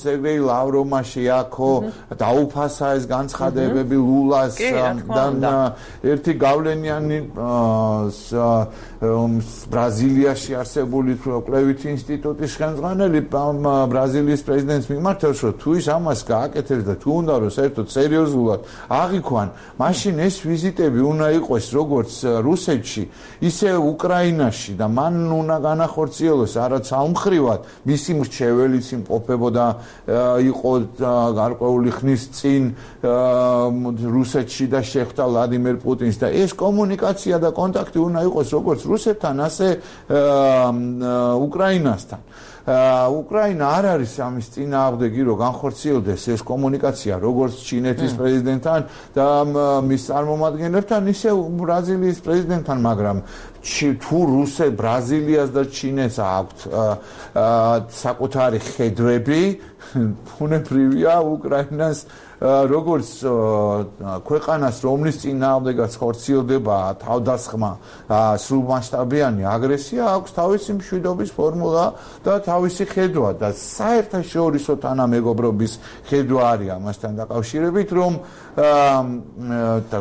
Speaker 4: სერგეი ლავროვმა შეაქო დაუფასა ეს განცხადებები ლულას და ერთი გავლენიანი ბრაზილიაში არსებული კვლევითი ინსტიტუტის ხელმძღვანელი ბრაზილიის პრეზიდენტს მიმართავს, რომ თუ ის ამას გააკეთებს და თუ უნდა რომ საერთოდ სერიოზულად აღიქვან, მაშინ ეს ვიზიტები უნდა იყოს როგორც რუსეთში, ისე უკრაინაში და მან უნდა განახორციელოს არაც ალმხრივად მისი მრჩეველიც იმყოფებოდა იყო გარკვეული ხნის წინ რუსეთში და შეხვდა ვლადიმერ პუტინს და ეს კომუნიკაცია და კონტაქტი უნდა იყოს როგორც რუსეთთან, ასე უკრაინასთან. უკრაინა არ არის ამის წინააღმდეგი, რომ განხორციელდეს ეს კომუნიკაცია როგორც ჩინეთის პრეზიდენტთან და მის წარმომადგენლებთან, ისე ბრაზილიის პრეზიდენტთან, მაგრამ თუ ბრაზილიას და ჩინეთს აქვთ საკუთარი ხედვები, ბუნებრივია უკრაინას როგორც ქვეყანას, რომლის წინააღმდეგაც ხორციელდება თავდასხმა სრულმასშტაბიანი აგრესია, აქვს თავისი მშვიდობის ფორმულა და თავისი ხედვა და საერთაშორისო თანამეგობრობის ხედვა არის ამასთან დაკავშირებით, რომ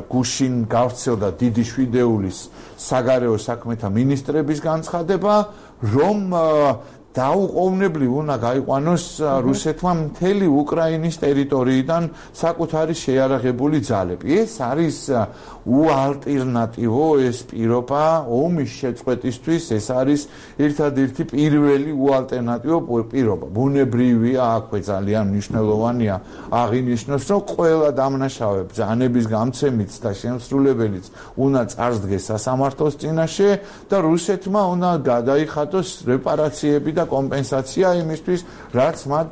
Speaker 4: გუშინ გავრცელდა დიდი შვიდეულის საგარეო საქმეთა მინისტრების განცხადება, რომ დაუყოვნებლივ უნდა გაიყვანოს რუსეთმა მთელი უკრაინის ტერიტორიიდან საკუთარი შეიარაღებული ძალები. ეს არის უალტერნატივო ეს პირობა ომის შეწყვეტისთვის, ეს არის ერთადერთი პირველი უალტერნატივო პირობა. ბუნებრივია, აქვე ძალიან მნიშვნელოვანია აღინიშნოს, რომ ყველა დამნაშავე ბრძანების გამცემიც და შემსრულებელიც უნდა წარსდგეს სასამართლოს წინაშე და რუსეთმა უნდა გადაიხადოს რეპარაციები და კომპენსაცია იმისთვის, რაც მათ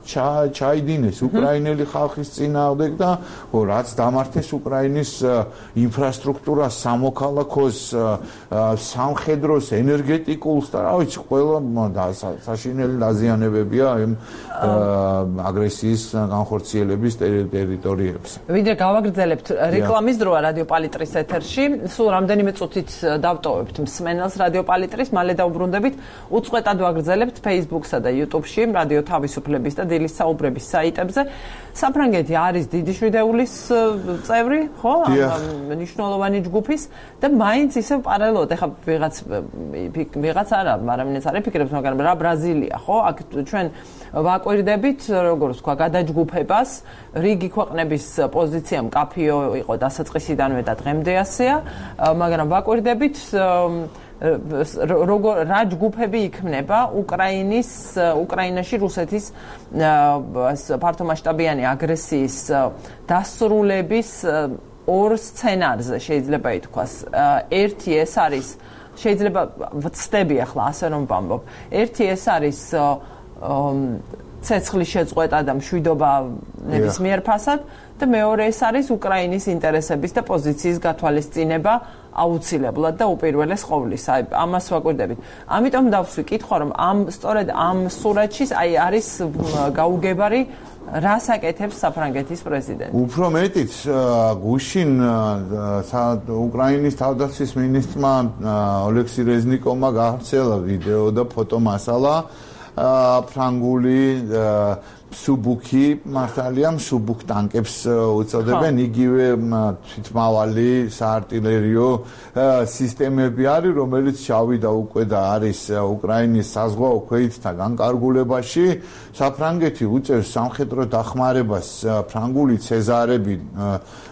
Speaker 4: ჩაიდინეს უკრაინელი ხალხის წინააღმდეგ და რაც დამართეს უკრაინის ინფრასტრუქტურა, სამოქალაქოს, სამხედროს, ენერგეტიკულს და რა ვიცი, ყველა საშინელი დაზიანებებია იმ აგრესიის განხორციელების ტერიტორიებზე.
Speaker 1: ვიდრე გავაგრძელებთ რეკლამის დროა რადიო პალიტრის ეთერში, სულ რამდენიმე წუთით დავტოვებთ მსმენელს რადიო პალიტრის, მალე დავბრუნდებით, უწყვეტად ვაგრძელებთ Facebook-სა და YouTube-ში, რადიო თავისუფლების და დილის საუბრების საიტებზე. საფრანგეთი არის დიდი შვიდეულის წევრი, ხო? მნიშვნელოვანი ჯგუფის და მაინც ისევ პარალელურად, ეხლა ვიღაც არა, არამინც არ იფიქრებს, მაგრამ რა ბრაზილია, ხო? აქ ჩვენ ვაკვირდებით, როგორც თქვა, გადაჯგუფებას, რიგი ქვეყნების პოზიცია მკაფიო იყო დასაწყისიდანვე და დღემდე ასეა, მაგრამ ვაკვირდებით რა ჯგუფები იქმნება უკრაინაში რუსეთის ფართომასშტაბიანი აგრესიის დასრულების ორ სცენარზე შეიძლება ითქვას. ერთი ეს არის, შეიძლება ვცდები ახლა ასე რომ ვამბობ. ერთი ეს არის ცეცხლის შეწყვეტა და მშვიდობა ნებისმიერ ფასად და მეორე ეს არის უკრაინის ინტერესების და პოზიციის გათვალისწინება აუცილებლად და უპირველეს ყოვლისა. ამას ვაკვირდებით. ამიტომ დავსვი კითხვა, რომ სწორედ ამ სურათში არის გაუგებარი რას აკეთებს საფრანგეთის პრეზიდენტი.
Speaker 4: უფრო მეტიც გუშინ უკრაინის თავდაცვის მინისტრმა ოლექსი რეზნიკოვმა გაავრცელა ვიდეო და ფოტომასალა ფრანგული სუბუქი მართალია სუბუქ ტანკებს უწოდებენ იგივე თვითმავალი საარტილერიო სისტემები არის რომელიც ჩავიდა უკვე და არის უკრაინის საზღვაო ქვეითთა განკარგულებაში საფრანგეთი უწევს სამხედრო დახმარებას ფრანგული ცეზარები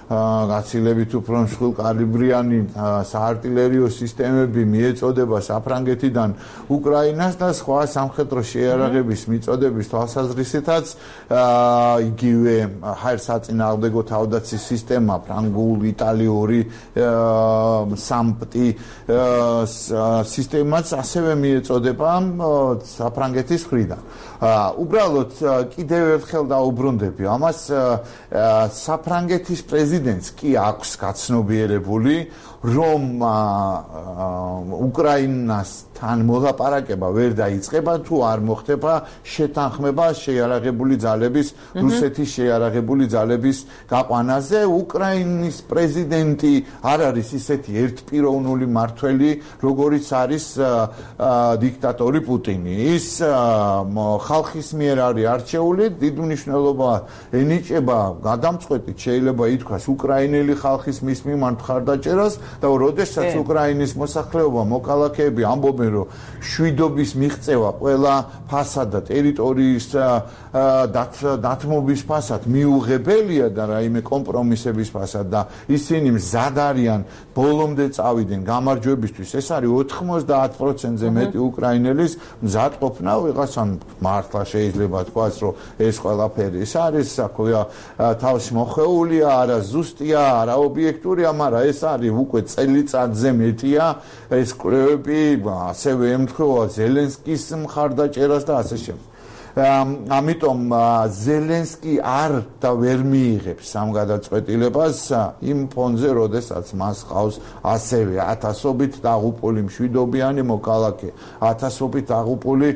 Speaker 4: გაცილებით უფრო მსხვილ კალიბრიანი საარტილერიო სისტემები მიეწოდება საფრანგეთიდან უკრაინას და სხვა სამხედრო შეიარაღების მიწოდების თვალსაზრისითაც იგივე ჰაერსაწინააღმდეგო თავდაცვის სისტემა ფრანგული, იტალიური სამპტი სისტემაც ასევე მიეწოდება საფრანგეთის მხრიდან. უბრალოდ კიდევ ერთხელ დაუბრუნდები ამას საფრანგეთის პრეზიდენტს კი აქვს გაცნობიერებული რომ უკრაინასთან მოლაპარაკება ვერ დაიწყება თუ არ მოხდება შეთანხმება შეიარაღებული ძალების რუსეთის შეიარაღებული ძალების გაყვანაზე უკრაინის პრეზიდენტი არ არის ისეთი ერთპიროვნული მმართველი როგორიც არის დიქტატორი პუტინი ის ხალხის მიერ არის არჩეული დიდ მნიშვნელობა ენიჭება გადამწყვეტით შეიძლება ითქვას უკრაინელი ხალხის მის მიმართ მხარდაჭერას და როდესაც უკრაინის მოსახლეობა მოქალაქეები ამბობენ რომ შვიდობის მიღწევა ყველა ფასად და ტერიტორიის დათმობის ფასად მიუღებელია და რაიმე კომპრომისების ფასად და ისინი მზად არიან ბოლომდე წავიდნენ გამარჯვებისთვის ეს არის 90%-ზე მეტი უკრაინელის მზად ყოფნა ვიღაცამ მართლა შეიძლება თქვას რომ ეს ყველაფერი ის არის საქმეა თავის მოხეულია არა ზუსტია არა ობიექტურია მაგრამ ეს არის უკვე წელიწადზე მეტია ეს კვლევები ასევე ემთხვევა ზელენსკის მხარდაჭერას და ასე შემდეგ ამიტომ ზელენსკი არ და ვერ მიიღებს ამ გადაწყვეტილებას იმ ფონზე, როდესაც მას ყავს ასევე ათასობით დაღუპული მშვიდობიანი მოქალაქე, ათასობით დაღუპული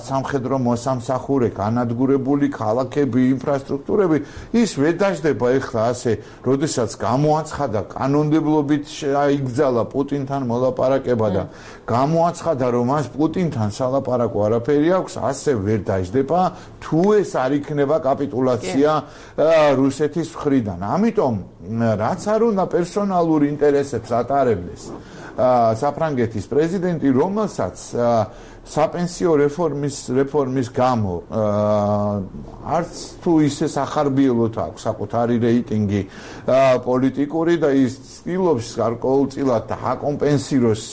Speaker 4: სამხედრო მოსამსახურე, განადგურებული ქალაქები, ინფრასტრუქტურები, ის ვერ დაждდება ეხლა ასე, როდესაც გამოაცხადა კანონმდებლობით იგზალა პუტინთან მოლაპარაკება და გამოაცხადა, რომ მას პუტინთან სალაპარაკო არაფერი აქვს, ასე ვერ დაждდება თუ ეს არ იქნება კაპიტულაცია რუსეთის მხრიდან. ამიტომ რაც არ უნდა პერსონალურ ინტერესებს ატარებდეს საფრანგეთის პრეზიდენტი, რომელსაც საპენსიო რეფორმის გამო არც თუ ისე სახარბიელოთ აქვს საკუთარი რეიტინგი პოლიტიკური და ის ცდილობს გარკვეულწილად აკომპენსიროს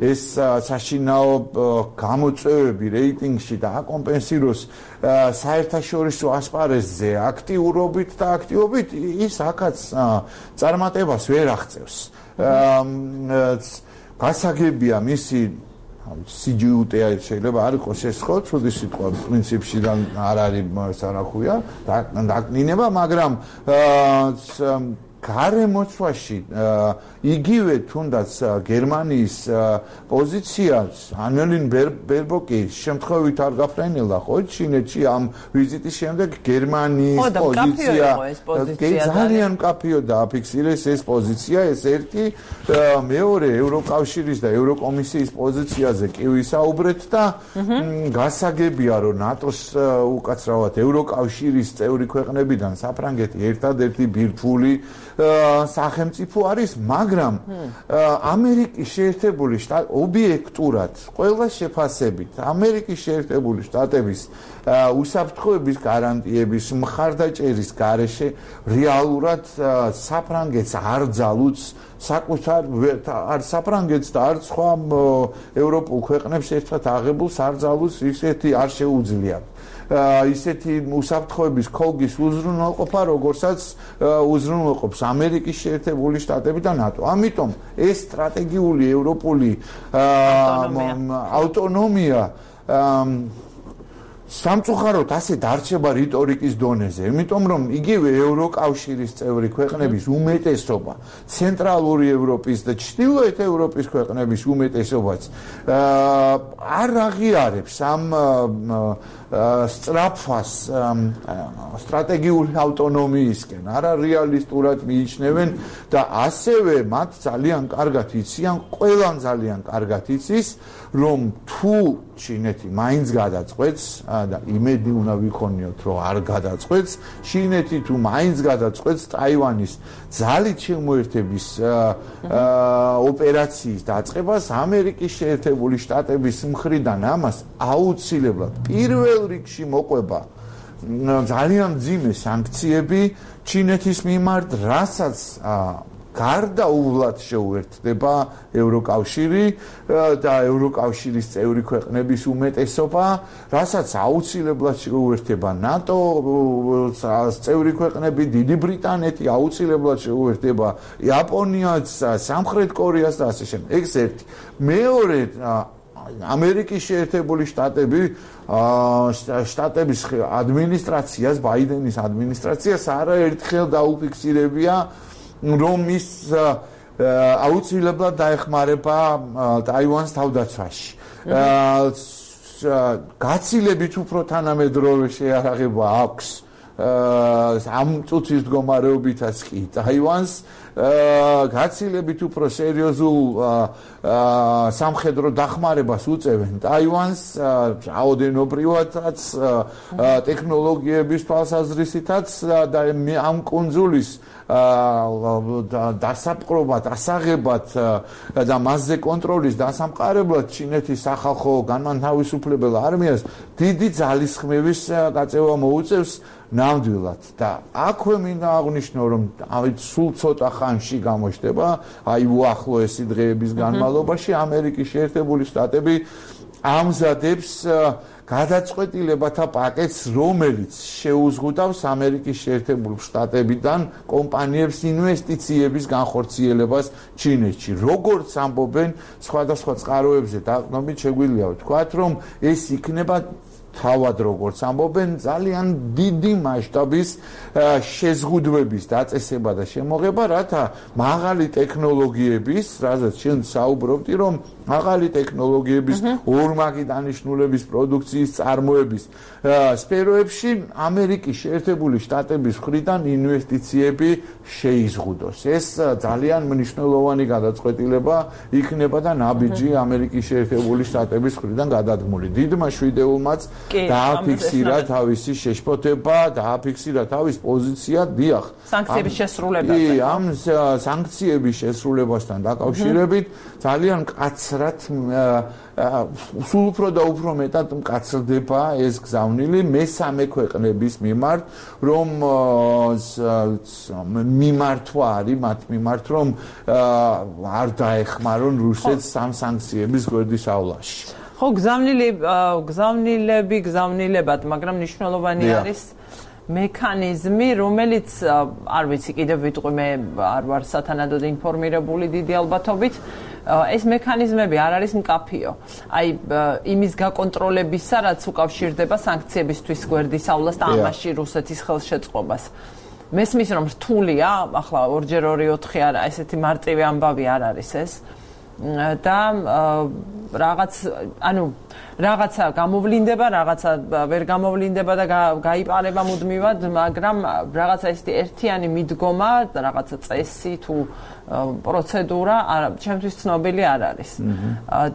Speaker 4: ეს საშინაო გამოწვევები რეიტინგში და აკომპენსიროს საერთაშორისო ასპარეზზე აქტიურობით და აქტივობით ის აქაც წარმატებას ვერ აღწევს. გასაგებია მისი სიჯუტე შეიძლება არ იყოს ეს ხო ცუდი სიტყვა პრინციპში და არ არის სანახუია დაკნინება მაგრამ გარემოცვაში იგივე თუნდაც გერმანიის პოზიციას ანელინ ბერბოკი შემთხვევით არ გაფრენილა ხო ჩინეთში ამ ვიზიტის შემდეგ გერმანიის პოზიცია ძალიან მკაფიო დააფიქსირეს ეს პოზიცია ეს ერთი მეორე ევროკავშირის და ევროკომისიის პოზიციაზე კი ვისაუბრეთ და გასაგებია რომ ნატოს უკაცრავად ევროკავშირის წევრი ქვეყნებიდან საფრანგეთი ერთადერთი ბირთვული სახელმწიფო არის, მაგრამ ამერიკის შეერთებული შტატები ობიექტურად ყველა შეფასებით ამერიკის შეერთებული შტატების უსაფრთხოების გარანტიების მხარდაჭერის გარეშე რეალურად საფრანგეთს არ ძალუძს საკუთარ არ საფრანგეთს და არ სხვა ევროპულ ქვეყნებს ერთად აღებულს არ ძალუძს ისეთი არ შეუძლია ისეთი უსაფრთხოების ქოლგის უზრუნველყოფა, როგორცაც უზრუნველყოფს ამერიკის შეერთებული შტატები და ნატო. ამიტომ ეს სტრატეგიული ევროპული ავტონომია სამწუხაროდ ასე დარჩება რიტორიკის დონეზე, იმიტომ რომ იგივე ევროკავშირის წევრი ქვეყნების უმეტესობა, ცენტრალური ევროპის და ჩრდილოეთ ევროპის ქვეყნების უმეტესობაც არ აღიარებს ამ სწრაფვას სტრატეგიული ავტონომიისკენ, არა რეალისტურად მიიჩნევენ და ასევე მათ ძალიან კარგად იციან, ყველამ ძალიან კარგად იცის, რომ თუ ჩინეთი მაინც გადაწყვეტს და იმედი უნდა ვიქონიოთ, რომ არ გადაწყვეტს, ჩინეთი თუ მაინც გადაწყვეტს ტაივანის ძალით შემოერთების ოპერაციის დაწყებას, ამერიკის შეერთებული შტატების მხრიდან ამას აუცილებლად პირველ რიგში მოყვება ძალიან მძიმე სანქციები ჩინეთის მიმართ, რასაც გარდაუვლად შეუერთდება ევროკავშირი და ევროკავშირის წევრი ქვეყნების უმეტესობა, რასაც აუცილებლად შეუერთდება ნატო წევრი ქვეყნები, დიდი ბრიტანეთი აუცილებლად შეუერთდება იაპონიას, სამხრეთ კორეას და ასე შემდეგ. ეს ერთი. მეორე ამერიკის შეერთებული შტატების ადმინისტრაციას, ბაიდენის ადმინისტრაციას არაერთხელ დაუფიქსირებია რომ ის აუცილებლად დაეხმარება ტაივანს თავდაცვაში. გაცილებით უფრო თანამედროვე შეიარაღება აქვს ამ წუთის მდგომარეობითაც კი ტაივანს გაცილებით უფრო სერიოზულ სამხედრო დახმარებას უწევენ ტაივანს რაოდენობრივადაც ტექნოლოგიების თვალსაზრისითაც და ამ კუნძულის დასაპყრობად, ასაღებად და მასზე კონტროლის დასამყარებლად ჩინეთის სახალხო განმათავისუფლებელ არმიას დიდი ძალისხმევის გაწევა მოუწევს ნამდვილად და აქვე მინდა აღვნიშნო რომ სულ ცოტა ხანში გამოჩნდება აი უახლოესი დღეების განმავლობაში ამერიკის შეერთებული შტატები ამზადებს გადაწყვეტილებათა პაკეტს, რომელიც შეუზღუდავს ამერიკის შეერთებულ შტატებიდან კომპანიებს ინვესტიციების განხორციელებას ჩინეთში. როგორც ამბობენ სხვადასხვა წყაროებზე დაყრდნობით შეგვიძლია ვთქვათ, რომ ეს იქნება თავად როგორც ამბობენ ძალიან დიდი მასშტაბის შეზღუდვების დაწესება და შემოღება, რათა მაღალი ტექნოლოგიების, რაზეც შენ საუბრობდი, რომ მაღალი ტექნოლოგიების ორმაგი დანიშნულების პროდუქციის წარმოების სფეროებში ამერიკის შეერთებული შტატების მხრიდან ინვესტიციები შეიზღუდოს. ეს ძალიან მნიშვნელოვანი გადაწყვეტილება იქნება და ნაბიჯი ამერიკის შეერთებული შტატების მხრიდან გადადგმული. დიდმა შვიდეულმაც დააფიქსირა თავისი შეშფოთება, დააფიქსირა თავის პოზიცია, დიახ.
Speaker 1: სანქციების შესრულებაზე.
Speaker 4: ამ სანქციების შესრულებასთან დაკავშირებით ძალიან მკაცრად სულ უფრო და უფრო მეტად მკაცრდება ეს გზავნილი მესამე ქვეყნების მიმართ, რომ მიმართვა არის მათ მიმართ, რომ არ დაეხმარონ რუსეთს ამ სანქციების გვერდის ავლაში.
Speaker 1: ხო, გზავნილებად, მაგრამ მნიშვნელოვანი არის მექანიზმი, რომელიც არ ვიცი, კიდევ ვიტყვი, მე არ ვარ სათანადოდ ინფორმირებული დიდი ალბათობით. ეს მექანიზმები არ არის მკაფიო. აი იმის გაკონტროლებისა, რაც უკავშირდება სანქციებისთვის გვერდის ავლას და ამაში რუსეთის ხელშეწყობას. მესმის რომ რთულია, ახლა 2x2 არა, ესეთი მარტივი ამბავი არ არის ეს. და რაღაცა გამოვლინდება, რაღაცა ვერ გამოვლინდება და გაიპარება მუდმივად, მაგრამ რაღაცა ესეთი ერთიანი მიდგომა, რაღაცა წესი თუ პროცედურა ჩემთვის ცნობილი არ არის.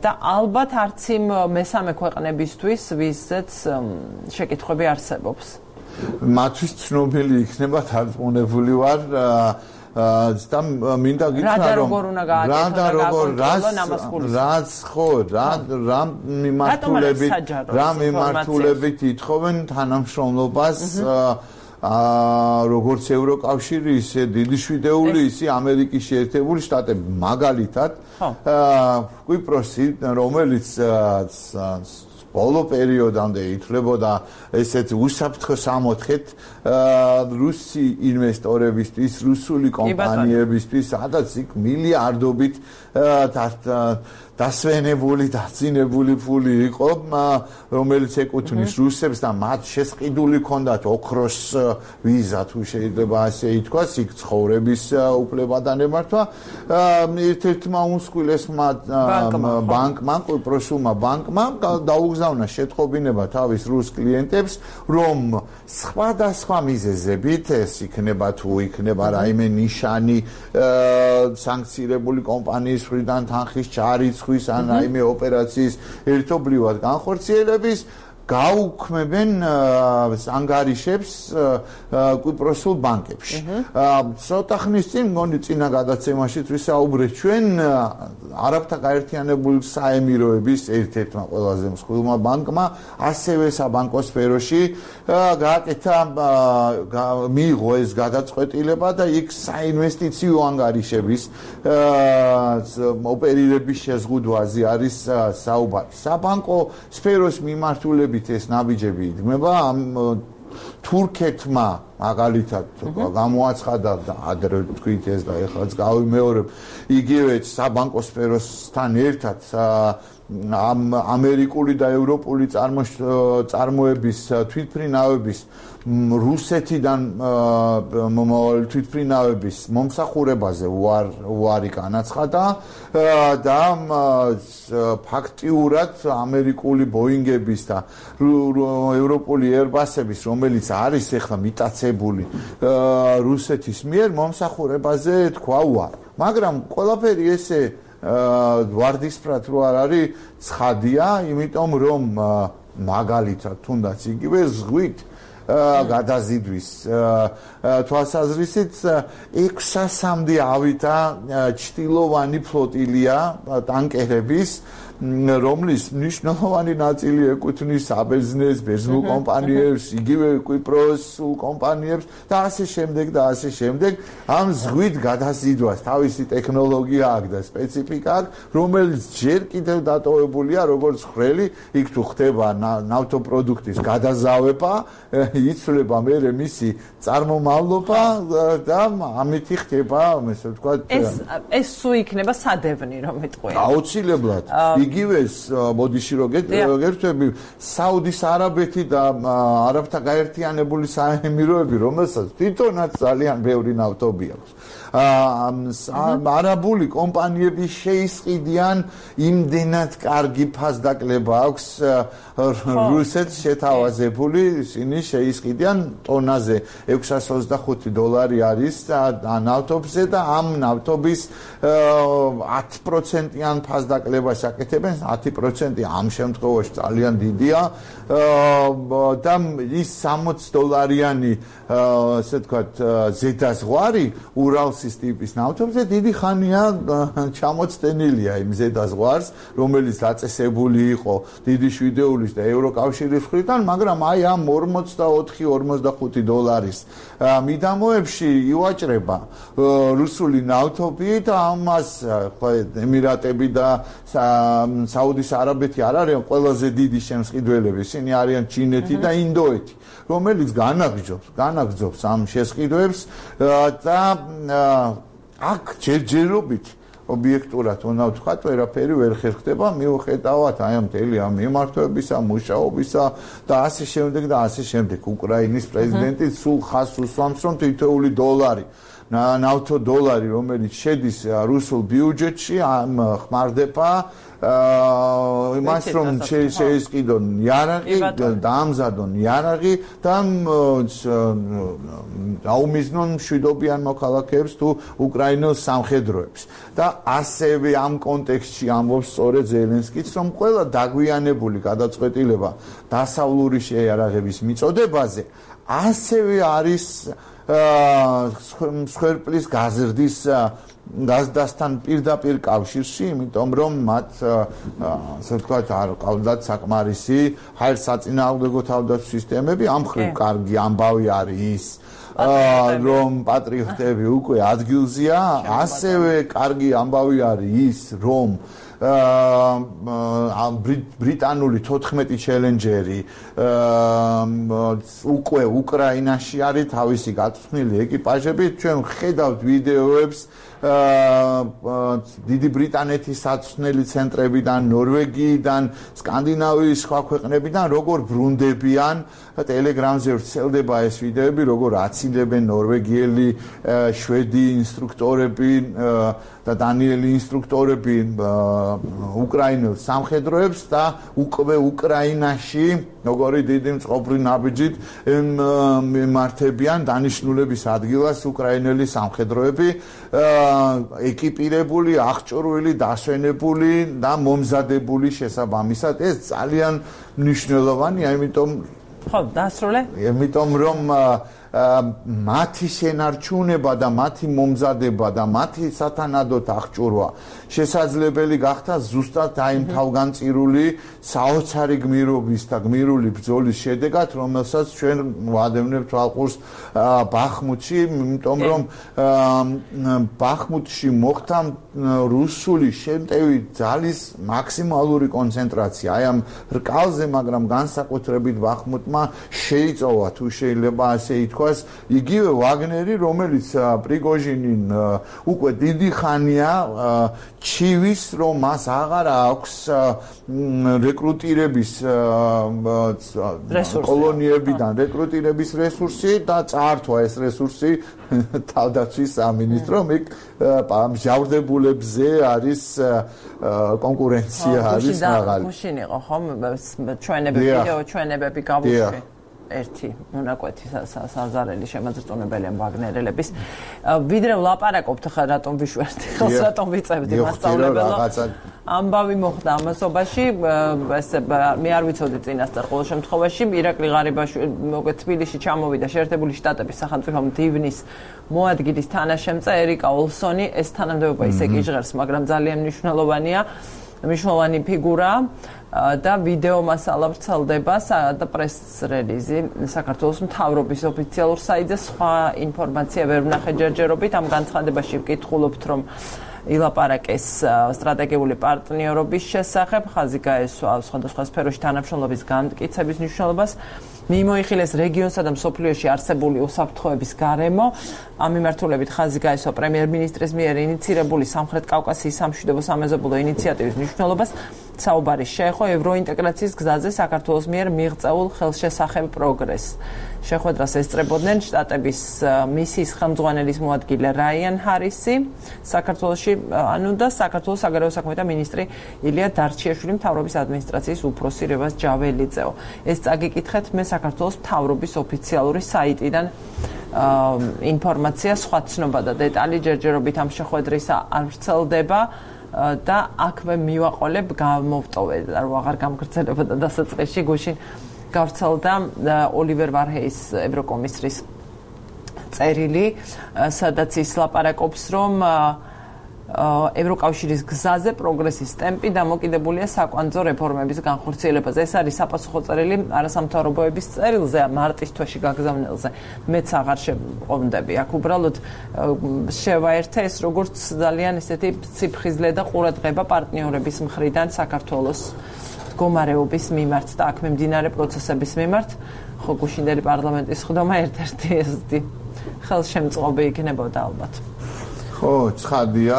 Speaker 1: და ალბათ არც იმ მესამე ქვეყნებისთვის, ვისაც შეკითხვები არსებობს.
Speaker 4: მათთვის ცნობილი იქნება, თარგმნებული ვარ და მინდა გითხრა რომ რა მიმართულებით ითხოვენ თანამშრომლობას როგორც ევროკავშირი, ისე დიდი შვიდეული, ისე ამერიკის შეერთებული შტატები, მაგალითად კვიპროსი, რომელიც ბოლო პერიოდამდე ითვლებოდა ესეთ უსაფრთხო სამოთხეთ რუსი ინვესტორებისთვის, რუსული კომპანიებისთვის, სადაც იქ მილიარდობით დასვენებული, დაცინებული ფული იყო, რომელიც ეკუთვნის რუსებს და მათ შესყიდული ჰქონდათ ოქროს ვიზა, თუ შეიძლება ასე ითქვას, იქ ცხოვრების უფლება და ნებართვა. ერთ-ერთმა უმსხვილესმა ბანკმა, კვიპროსულმა ბანკმა დაუგზავნა შეტყობინება თავის რუს კლიენტებს, რომ სხვადასხვა მიზეზებით, ეს იქნება თუ იქნება რაიმე ნიშანი სანქცირებული კომპანიის მხრიდან თანხის ჩარიცხვის ან რაიმე ოპერაციის ერთობლივად განხორციელების გაუქმებენ ანგარიშებს კვიპროსულ ბანკებში. ცოტა ხნის წინ მგონი წინა გადაცემაშიც ვისაუბრეთ ჩვენ არაბთა გაერთიანებული საემიროების ერთ-ერთმა ყველაზე მსხვილმა ბანკმა ასევე საბანკო სფეროში გააკეთა მიიღო ეს გადაწყვეტილება და იქ საინვესტიციო ანგარიშების ოპერირების შეზღუდვაზე არის საუბარი. საბანკო სფეროს მიმართულებით ეს ნაბიჯები იდგმება თურქეთმა მაგალითად გამოაცხადა და ადრე თქვით ეს და ეხლაც გავიმეორებ იგივე საბანკო სფეროსთან ერთად ამერიკული და ევროპული წარმოების თვითმფრინავების რუსეთიდან თვითმფრინავების მომსახურებაზე უარი განაცხადა და ფაქტიურად ამერიკული ბოინგების და ევროპული ერბასების, რომელიც არის ახლა მიტაცებული რუსეთის მიერ მომსახურებაზე თქვა უარი. მაგრამ ყველაფერი ესე ვარდისფრად რო არ არის ცხადია, იმიტომ რომ მაგალითად თუნდაც იგივე ზღვით გადაზიდვის თვალსაზრისით 600-მდე ავითა ჩtildeოვანი ფლოტილია ტანკერების, რომლის მნიშვნელოვანი ნაწილი ეკუთვნის საბერძნეთს, ბერძნულ კომპანიებს, იგივე კვიპროსულ კომპანიებს და ასე შემდეგ და ასე შემდეგ. ამ ზღვით გადაზიდვას თავისი ტექნოლოგია აქვს და სპეციფიკა აქვს, რომელიც ჯერ კიდევ დატოვებულია როგორც ხრელი, იქ თუ ხდება ნავთობპროდუქტის გადაზავება, იცვლება მერე მისი წარმომავლობა და ამითი ხდება, ესე ვთქვათ,
Speaker 1: ეს სულ იქნება სადევნი, რომ ეტყვია.
Speaker 4: აუცილებლად. იგივეს მოდიში რო გერთვები საუდის არაბეთი და არაბთა გაერთიანებული საემიროები, რომელსაც თვითონაც ძალიან ბევრი ნავთობი აქვს. არაბული კომპანიები შეისყიდიან იმდენად კარგი ფასდაკლება აქვს რუსეთს შეთავაზებული, ისინი შეისყიდიან ტონაზე $625 არის ნავთობზე და ამ ნავთობის 10%-იან ფასდაკლებას აკეთებენ, 10% ამ შემთხვევაში ძალიან დიდია და ის $60-იანი ასე ვთქვათ ზედაზღვარი ურალსის ტიპის ნავთობზე დიდი ხანია ჩამოცდენილია იმ ზედაზღვარს, რომელიც დაწესებული იყო დიდი შვიდეულის და ევროკავშირის მხრიდან, მაგრამ აი ამ $44-45 მიდამოებში ივაჭრება რუსული ნავთობი და ამას ემირატები და საუდის არაბეთი არ არიან ყველაზე დიდი შემსყიდველები, ისინი არიან ჩინეთი და ინდოეთი, რომელიც განაგრძობს ამ შესყიდვებს და აქ ჯერჯერობით ობიექტურად უნდა ვთქვათ, ვერაფერი ვერ ხერხდება, მიუხედავად აი ამ მთელი ამ მიმართვებისა, მუშაობისა და ასე შემდეგ და ასე შემდეგ. უკრაინის პრეზიდენტი სულ ხაზს უსვამს, რომ თითოეული დოლარი ნავთო დოლარი, რომელიც შედის რუსულ ბიუჯეტში, ხმარდება იმას, რომ შეისყიდონ იარაღი, დაამზადონ იარაღი და აუმიზნონ მშვიდობიან მოქალაქეებს თუ უკრაინელ სამხედროებს. და ასევე ამ კონტექსტში ამბობს სწორედ ზელენსკიც, რომ ყველა დაგვიანებული გადაწყვეტილება დასავლური შეიარაღების მიწოდებაზე ასევე არის მსხვერპლის გაზრდის გაზრდასთან პირდაპირ კავშირში, იმიტომ რომ მათ ასე ვთქვათ, არ ყავდათ საკმარისი ჰაერსაწინააღმდეგო თავდაცვის სისტემები, ამ მხრივ კარგი ამბავი არის ის, რომ პატრიოტები უკვე ადგილზეა, ასევე კარგი ამბავი არის ის, რომ ბრიტანული 14 ჩელენჯერი უკვე უკრაინაში არის თავისი გაწვრთნილი ეკიპაჟები. ჩვენ ხედავთ ვიდეოებს დიდი ბრიტანეთის საწვრთნელი ცენტრებიდან, ნორვეგიიდან, სკანდინავიის სხვა ქვეყნებიდან, როგორ ბრუნდებიან. ტელეგრამზე ვრცელდება ეს ვიდეოები, როგორ აცილებენ ნორვეგიელი, შვედი ინსტრუქტორები და დანიელი ინსტრუქტორები უკრაინელ სამხედროებს და უკვე უკრაინაში როგორი დიდი მწყობრი ნაბიჯით მემართებიან დანიშნულების ადგილას უკრაინელი სამხედროები, ეკიპირებული, აღჭურვილი, დასვენებული და მომზადებული შესაბამისად. ეს ძალიან მნიშვნელოვანია, იმიტომ
Speaker 1: ხო, დასრულე?
Speaker 4: იმიტომ რომ მათი შენარჩუნება და მათი მომზადება და მათი სათანადოდ აღჭურვა შესაძლებელი გახდა ზუსტად აი ამ თავგანწირული საოცარი გმირობის და გმირული ბრძოლის შედეგად, რომელსაც ჩვენ ვადევნებთ ალყურს ბახმუთში, იმიტომ რომ ბახმუთში მოხდა რუსული შემტევი ძალის მაქსიმალური კონცენტრაცია. აი ამ რკალზე, მაგრამ განსაკუთრებით ბახმუტმა შეიწოვა, თუ შეიძლება ასე ითქვას, იგივე ვაგნერი, რომელიც პრიგოჟინი უკვე დიდი ხანია ჩივის, რომ მას აღარ აქვს რეკრუტირების კოლონიებიდან რეკრუტირების რესურსი და წაართვა ეს რესურსი თავდაცვის სამინისტრომ. იქ მჟავრდებულებზე არის კონკურენცია არის მაღალი.
Speaker 1: მაშინ იყო ხომ ჩვენები ვიდეო ჩვენებები გავუშვი. ერთი მონაკვეთი საზარელი შემოწმებელია ვაგნერელების. ვიდრე ვლაპარაკობთ ხა რატომ ვიშვერდი ხელს რატომ ვიწევდი მასწავლებელო. ამბავი მოხდა ამასობაში, ესე მე არ ვიცოდი წინასწარ ყოველ შემთხვევაში ირაკლი ღარიბაშვილი მოგეთ თბილისში ჩამოვიდა შეერთებული შტატების სახელმწიფო მდივნის მოადგილის თანაშემწე ერიკა ოლსონი. ეს თანამდებობა ისე კი ჟღერს, მაგრამ ძალიან მნიშვნელოვანი ფიგურა და ვიდეო მასალა ვრცელდება და პრეს რელიზი საქართველოს მთავრობის ოფიციალურ საიტზე. სხვა ინფორმაცია ვერ ვნახე ჯერჯერობით. ამ განცხადებაში ვკითხულობთ, რომ ილაპარაკეს სტრატეგიული პარტნიორობის შესახებ, ხაზი გაესვა სხვადასხვა სფეროში თანამშრომლობის განმტკიცების მნიშვნელობას, მიმოიხილეს რეგიონსა და მსოფლიოში არსებული უსაფრთხოების გარემო. ამ მიმართულებით ხაზი გაესვა პრემიერ-მინისტრის მიერ ინიცირებული სამხრეთ კავკასიის სამშვიდობო სამეზობლო ინიციატივის მნიშვნელობას. საუბარი შეეხო ევროინტეგრაციის გზაზე საქართველოს მიერ მიღწეულ ხელშესახებ პროგრესს. შეხვედრას ესწრებოდნენ შტატების მისიის ხელმძღვანელის მოადგილე რაიან ჰარისი საქართველოში, და საქართველოს საგარეო საქმეთა მინისტრი ილია დარჩიაშვილი, მთავრობის ადმინისტრაციის უფროსი რევაზ ჯაველიძეო. ეს წაგიკითხეთ მე საქართველოს მთავრობის ოფიციალური საიტიდან ინფორმაცია, სხვა ცნობა და დეტალი ჯერჯერობით ამ შეხვედრისა არ ვრცელდება. და აქვე მივაყოლებ გამოვტოვე რომ აღარ გამგრძელებოდა დასაწყისში გუშინ გავრცელდა ოლივერ ვარჰეის ევროკომისრის წერილი, სადაც ის ლაპარაკობს, რომ ევროკავშირის გზაზე პროგრესის ტემპი დამოკიდებულია საკვანძო რეფორმების განხორციელებაზე. ეს არის საპასუხო წერილი არასამთავრობოების წერილზე, მარტის თვეში გაგზავნილზე. მეც აღარ შეყოვნდები. აქ უბრალოდ შევაერთე ეს როგორც ძალიან ესეთი ციფხიზლე და ყურადღება პარტნიორების მხრიდან საქართველოს მდგომარეობის მიმართ და აქ მიმდინარე პროცესების მიმართ. ხო, გუშინდელი პარლამენტის ხდომა ერთ-ერთი ესეთი ხელშემწყობი იქნებოდა ალბათ.
Speaker 4: ხო, ცხადია,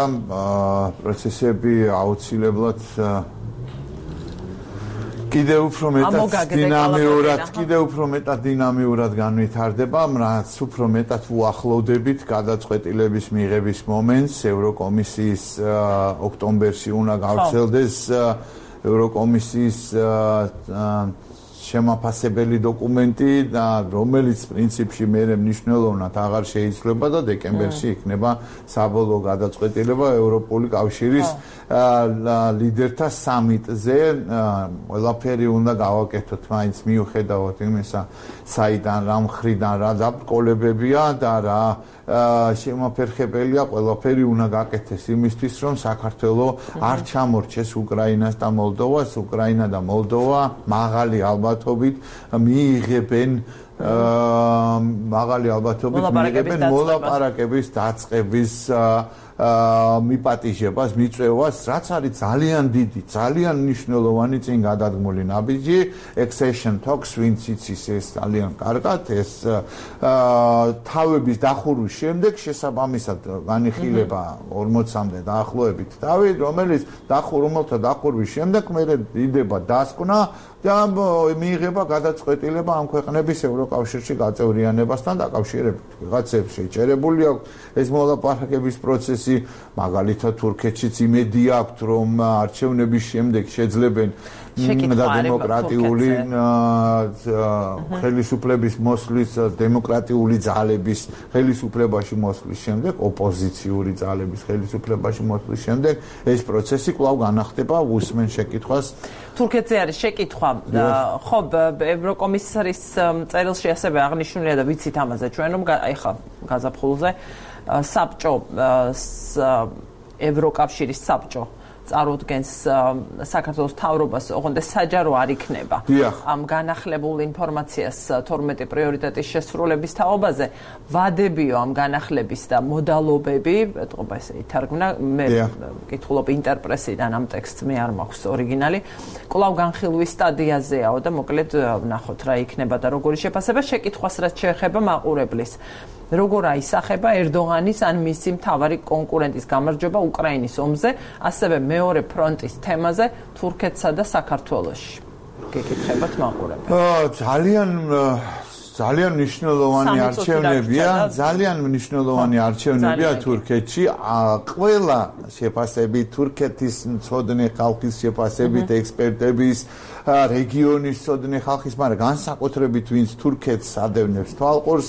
Speaker 4: პროცესები აუცილებლად კიდევ უფრო მეტად დინამიურად განვითარდება, რაც უფრო მეტად უახლოვდებით გადაწყვეტილების მიღების მომენტს. ევროკომისიის ოქტომბერში უნდა გავრცელდეს ევროკომისიის შემაფასებელი დოკუმენტი, რომელიც პრინციპში მერე მნიშვნელოვნად აღარ შეიცვლება და დეკემბერში იქნება საბოლოო გადაწყვეტილება ევროპული კავშირის ლიდერთა სამიტზე. ყველაფერი უნდა გავაკეთოთ მაინც მიუხედავად იმისა, საიდან რა მხრიდან რა დაბრკოლებებია და რა შემაფერხებელია, ყველაფერი უნდა გაკეთდეს იმისთვის, რომ საქართველო არ ჩამორჩეს უკრაინას და მოლდოვას. უკრაინა და მოლდოვა მაღალი ალბათობით მიიღებენ მოლაპარაკების დაწყების მიპატიჟებას, მიწევას, რაც არის ძალიან დიდი, ძალიან მნიშვნელოვანი წინ გადადგმული ნაბიჯი. accession talks, ვინც იცის ეს ძალიან კარგად, ეს თავების დახურვის შემდეგ შესაბამისად განიხილება 40-მდე დაახლოებით თავი, რომელიც რომელთა დახურვის შემდეგ მერე იდება დასკვნა და მიიღება გადაწყვეტილება ამ ქვეყნების ევროკავშირში გაწევრიანებასთან დაკავშირებით. ვიღაცებს შეჭერებული აქვს ეს მოლაპარაკების პროცესი, მაგალითად თურქეთშიც იმედი აქვს, რომ არჩევნების შემდეგ შეძლებენ და დემოკრატიული ხელისუფლების მოსვლის, დემოკრატიული ძალების ხელისუფლებაში მოსვლის შემდეგ, ოპოზიციური ძალების ხელისუფლებაში მოსვლის შემდეგ ეს პროცესი კვლავ განახდება. უსმენ შეკითხვას.
Speaker 1: თურქეთზე არის შეკითხვა. ხო, ევროკომისარის წერილში ასევე აღნიშნულია და ვიცით ამაზე ჩვენ, რომ ეხლა გაზაფხულზე საბჭო ევროკავშირის საბჭო წარუდგენს საქართველოს მთავრობას, ოღონდ საჯარო არ იქნება ამ განახლებულ ინფორმაციას 12 პრიორიტეტის შესრულების თაობაზე. ვადებიო ამ განახლების და მოდალობები, ეთყობა ესე ითარგმნა, მე ვკითხულობ ინტერპრესიდან ამ ტექსტს, მე არ მაქვს ორიგინალი. კვლავ განხილვის სტადიაზეაო და მოკლედ ვნახოთ რა იქნება და როგორი შეფასება. შეკითხვას რაც შეეხება მაყურებლის, როგორ აისახება ერდოღანის ან მისი მთავარი კონკურენტის გამარჯვება უკრაინის ომზე, ასევე მეორე ფრონტის თემაზე თურქეთსა და საქართველოში. გეკითხებათ მაყურებელს.
Speaker 4: ძალიან მნიშვნელოვანი არჩევნებია თურქეთში. ყველა შეფასებით, თურქეთის მცოდნე ხალხის შეფასებით, ექსპერტების, რეგიონის მცოდნე ხალხის, მაგრამ განსაკუთრებით ვინც თურქეთს ადევნებს თვალყურს,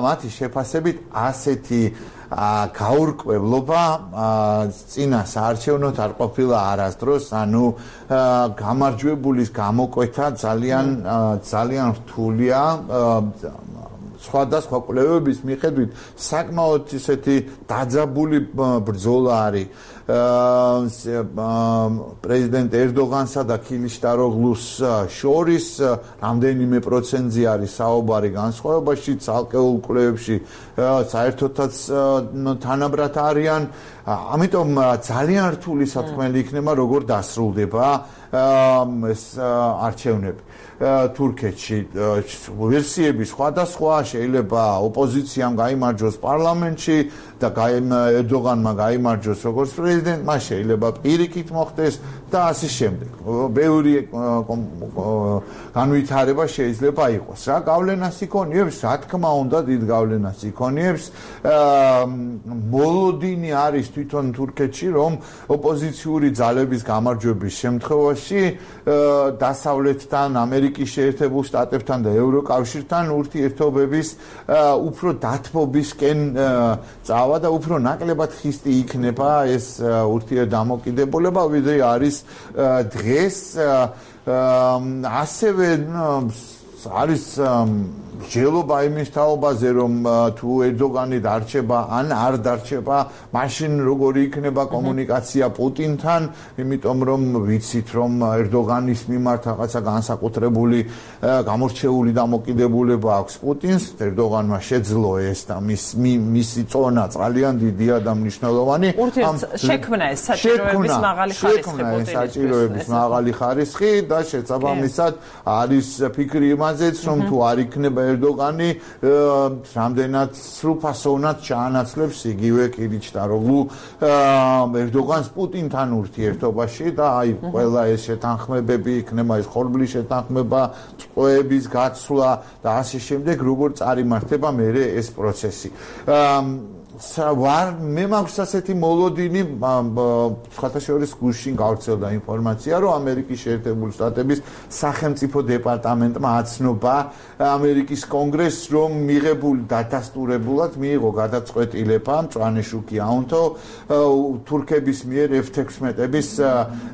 Speaker 4: მათი შეფასებით ასეთი გაურკვევლობა წინა საარჩევნოდ არ ყოფილა არასდროს, ანუ გამარჯვებულის გამოკვეთა ძალიან რთულია. სხვადასხვა კვლევების მიხედვით საკმაოდ ისეთი დაძაბული ბრძოლა არის პრეზიდენტ ერდოღანსა და ქილიშტაროგლუს შორის. რამდენიმე პროცენტზე არის საუბარი განსხვავებაში, ცალკეულ კვლევებში საერთოდაც თანაბრად არიან. ამიტომ ძალიან რთული სათქმელი იქნება, როგორ დასრულდება ეს არჩევნები. თურქეთში ვერსიები სხვადასხვა, შეიძლება ოპოზიციამ გაიმარჯვოს პარლამენტში და ერდოღანმა გაიმარჯვოს როგორც პრეზიდენტმა, შეიძლება პირიქით მოხდეს და ასე შემდეგ. ბევრი განვითარება შეიძლება იყოს. რა გავლენას იქონიებს? რა თქმა უნდა, დიდ გავლენას იქონიებს. მოლოდინი არის თვითონ თურქეთში, რომ ოპოზიციური ძალების გამარჯვების შემთხვევაში დასავლეთთან, ამერიკის შეერთებულ შტატებთან და ევროკავშირთან ურთიერთობების უფრო დათმობისკენ წავა და უფრო ნაკლებად ხისტი იქნება ეს ურთიერთდამოკიდებულება, ვიდრე არის დღეს. ასევე არის ჯელობა იმის თაობაზე, რომ თუ ერდოღანი დარჩება ან არ დარჩება, მაშინ როგორი იქნება კომუნიკაცია პუტინთან, იმიტომ რომ ვიცით, რომ ერდოღანის მიმართ რაღაცა განსაკუთრებული გამორჩეული დამოკიდებულება აქვს პუტინს. ერდოღანმა შეძლო ეს და მისი წონა ძალიან დიდია და მნიშვნელოვანი.
Speaker 1: შექმნა ეს საჭიროების მაღალი ხარისხი
Speaker 4: და შესაბამისად არის ფიქრი იმაზეც, რომ თუ არ იქნება ერდოგანი რამდენად სრულფასოვნად ჩაანაცვლებს იგივე კილიჩდაროგლუ ერდოგანს პუტინთან ურთიერთობაში და აი ყველა ეს შეთანხმებები იქნება ეს ხორბლის შეთანხმება, წვეების გაცვლა და ასე შემდეგ როგორ წარიმართება მერე ეს პროცესი. მე მაქვს ასეთი მოლოდინი სხვათა შორის გუშინ გავრცელდა ინფორმაცია რომ ამერიკის შეერთებული შტატების სახელმწიფო დეპარტამენტმა აცნობა ამერიკის კონგრესს რომ მიღებული დადასტურებულად მიიღო გადაწყვეტილება მწვანეშუქი აუნთო თურქების მიერ F-16-ების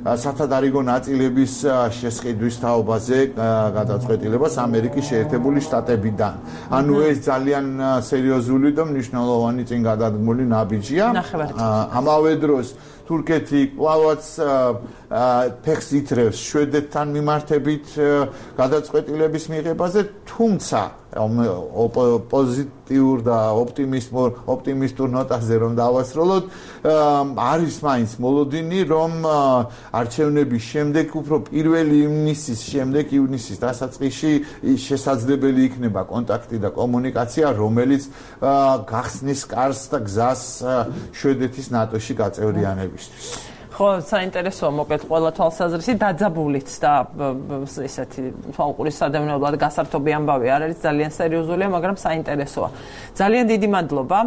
Speaker 4: სათადარიგო ნაწილების შესყიდვის თაობაზე გადაწყვეტილებას ამერიკის შეერთებული შტატებიდან. ანუ ეს ძალიან სერიოზული და მნიშვნელოვანი წინ გადადგმული ნაბიჯია. ამავე დროს თურქეთი კვლავაც ფეხს ითრევს შვედეთთან მიმართებით გადაწყვეტილების მიღებაზე, თუმცა პოზიტიურ და ოპტიმისტურ ნოტაზე რომ დავასრულოთ, არის მაინც მოლოდინი, რომ არჩევნების შემდეგ, უფრო 1 ივნისის დასაწყისში შესაძლებელი იქნება კონტაქტი და კომუნიკაცია, რომელიც გახსნის კარს და გზას შვედეთის ნატოში გაწევრიანებისთვის.
Speaker 1: ხო, საინტერესოა მოკლედ ყველა თვალსაზრისით დაძაბულიც და ესეთი თვალყურის სადევნებლად გასართობი ამბავი არ არის, ძალიან სერიოზულია, მაგრამ საინტერესოა. ძალიან დიდი მადლობა.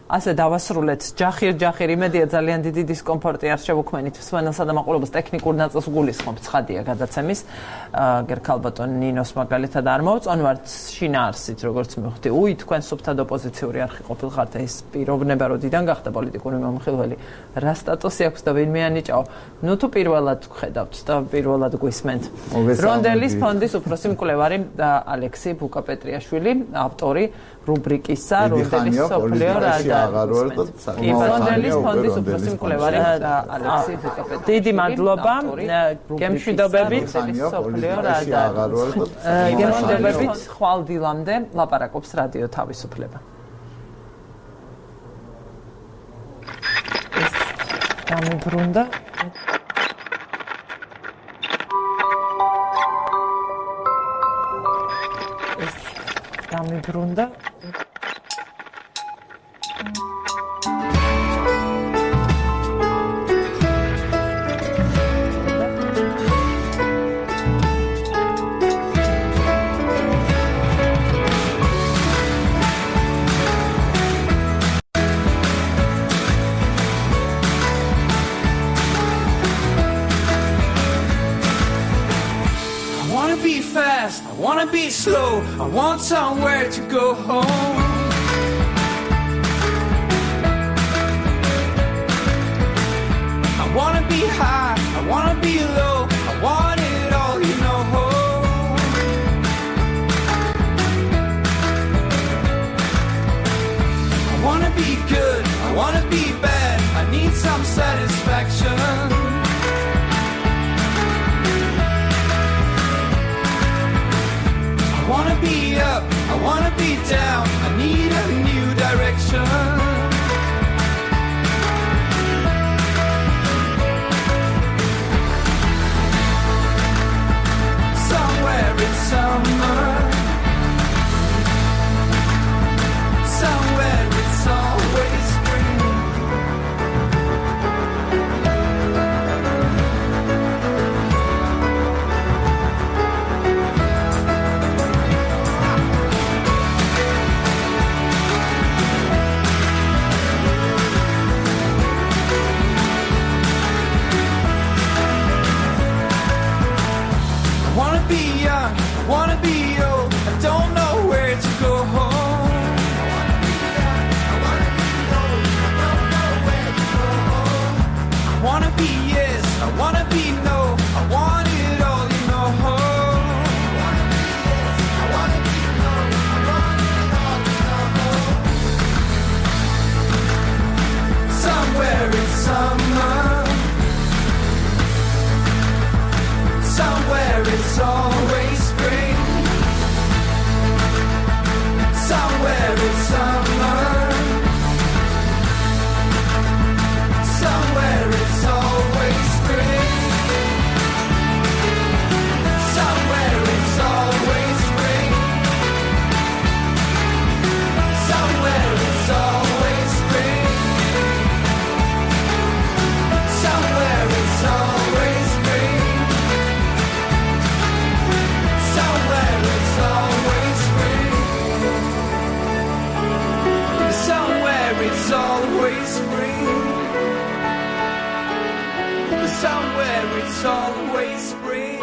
Speaker 1: ასე დავასრულეთ ჯახირ იმედია ძალიან დიდი დისკომფორტი არ შევუქმენით მსმენელსა და მაყურებელს ტექნიკურ ნაწილს გულისხმობ ცხადია გადაცემის გერქალბატონ ნინოს მაგალითად არ მოვწონვართ შინაარსით როგორც მივხვდი თქვენ სუფთად ოპოზიციური არხი ყოფილხართ ეს პიროვნება როდიდან გახდა პოლიტიკური მომხილველი რა სტატუსი აქვს და ვინმე ანიჭაო ნუ თუ პირველად ხედავთ და პირველად გვისმენთ რონდელის ფონდის უფროსი მკვლევარი ალექსი ბუკაპეტრიაშვილი ავტორი რუბრიკისა რონდელის სოფლიო რონდელის ფონდის უფროსი მკვლევარი ალექსი ბუკაპეტრიაშვილი დიდი მადლობა გემშვიდობებით სოფლიო გემშვიდობებით ხვალ დილამდე ლაპარაკობს რადიო თავისუფლება დამიბრუნდა დამიბრუნდა
Speaker 5: I wanna be slow, I want somewhere to go home. I wanna be high, I wanna be low, I want it all, you know. I wanna be good, I wanna be bad, I need some satisfaction. I wanna be up, I wanna be down, I need a new direction. Somewhere it's summer, somewhere it's always spring. where it's always spring.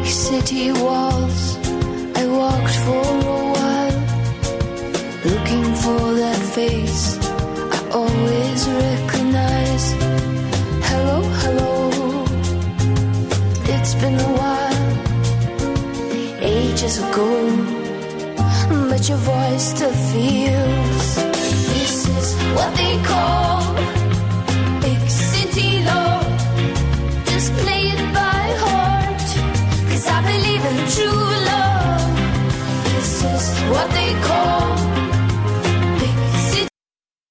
Speaker 6: City walls, I walked for a while, looking for that face I always recognize. Hello, hello, it's been a while, ages ago, but your voice still feels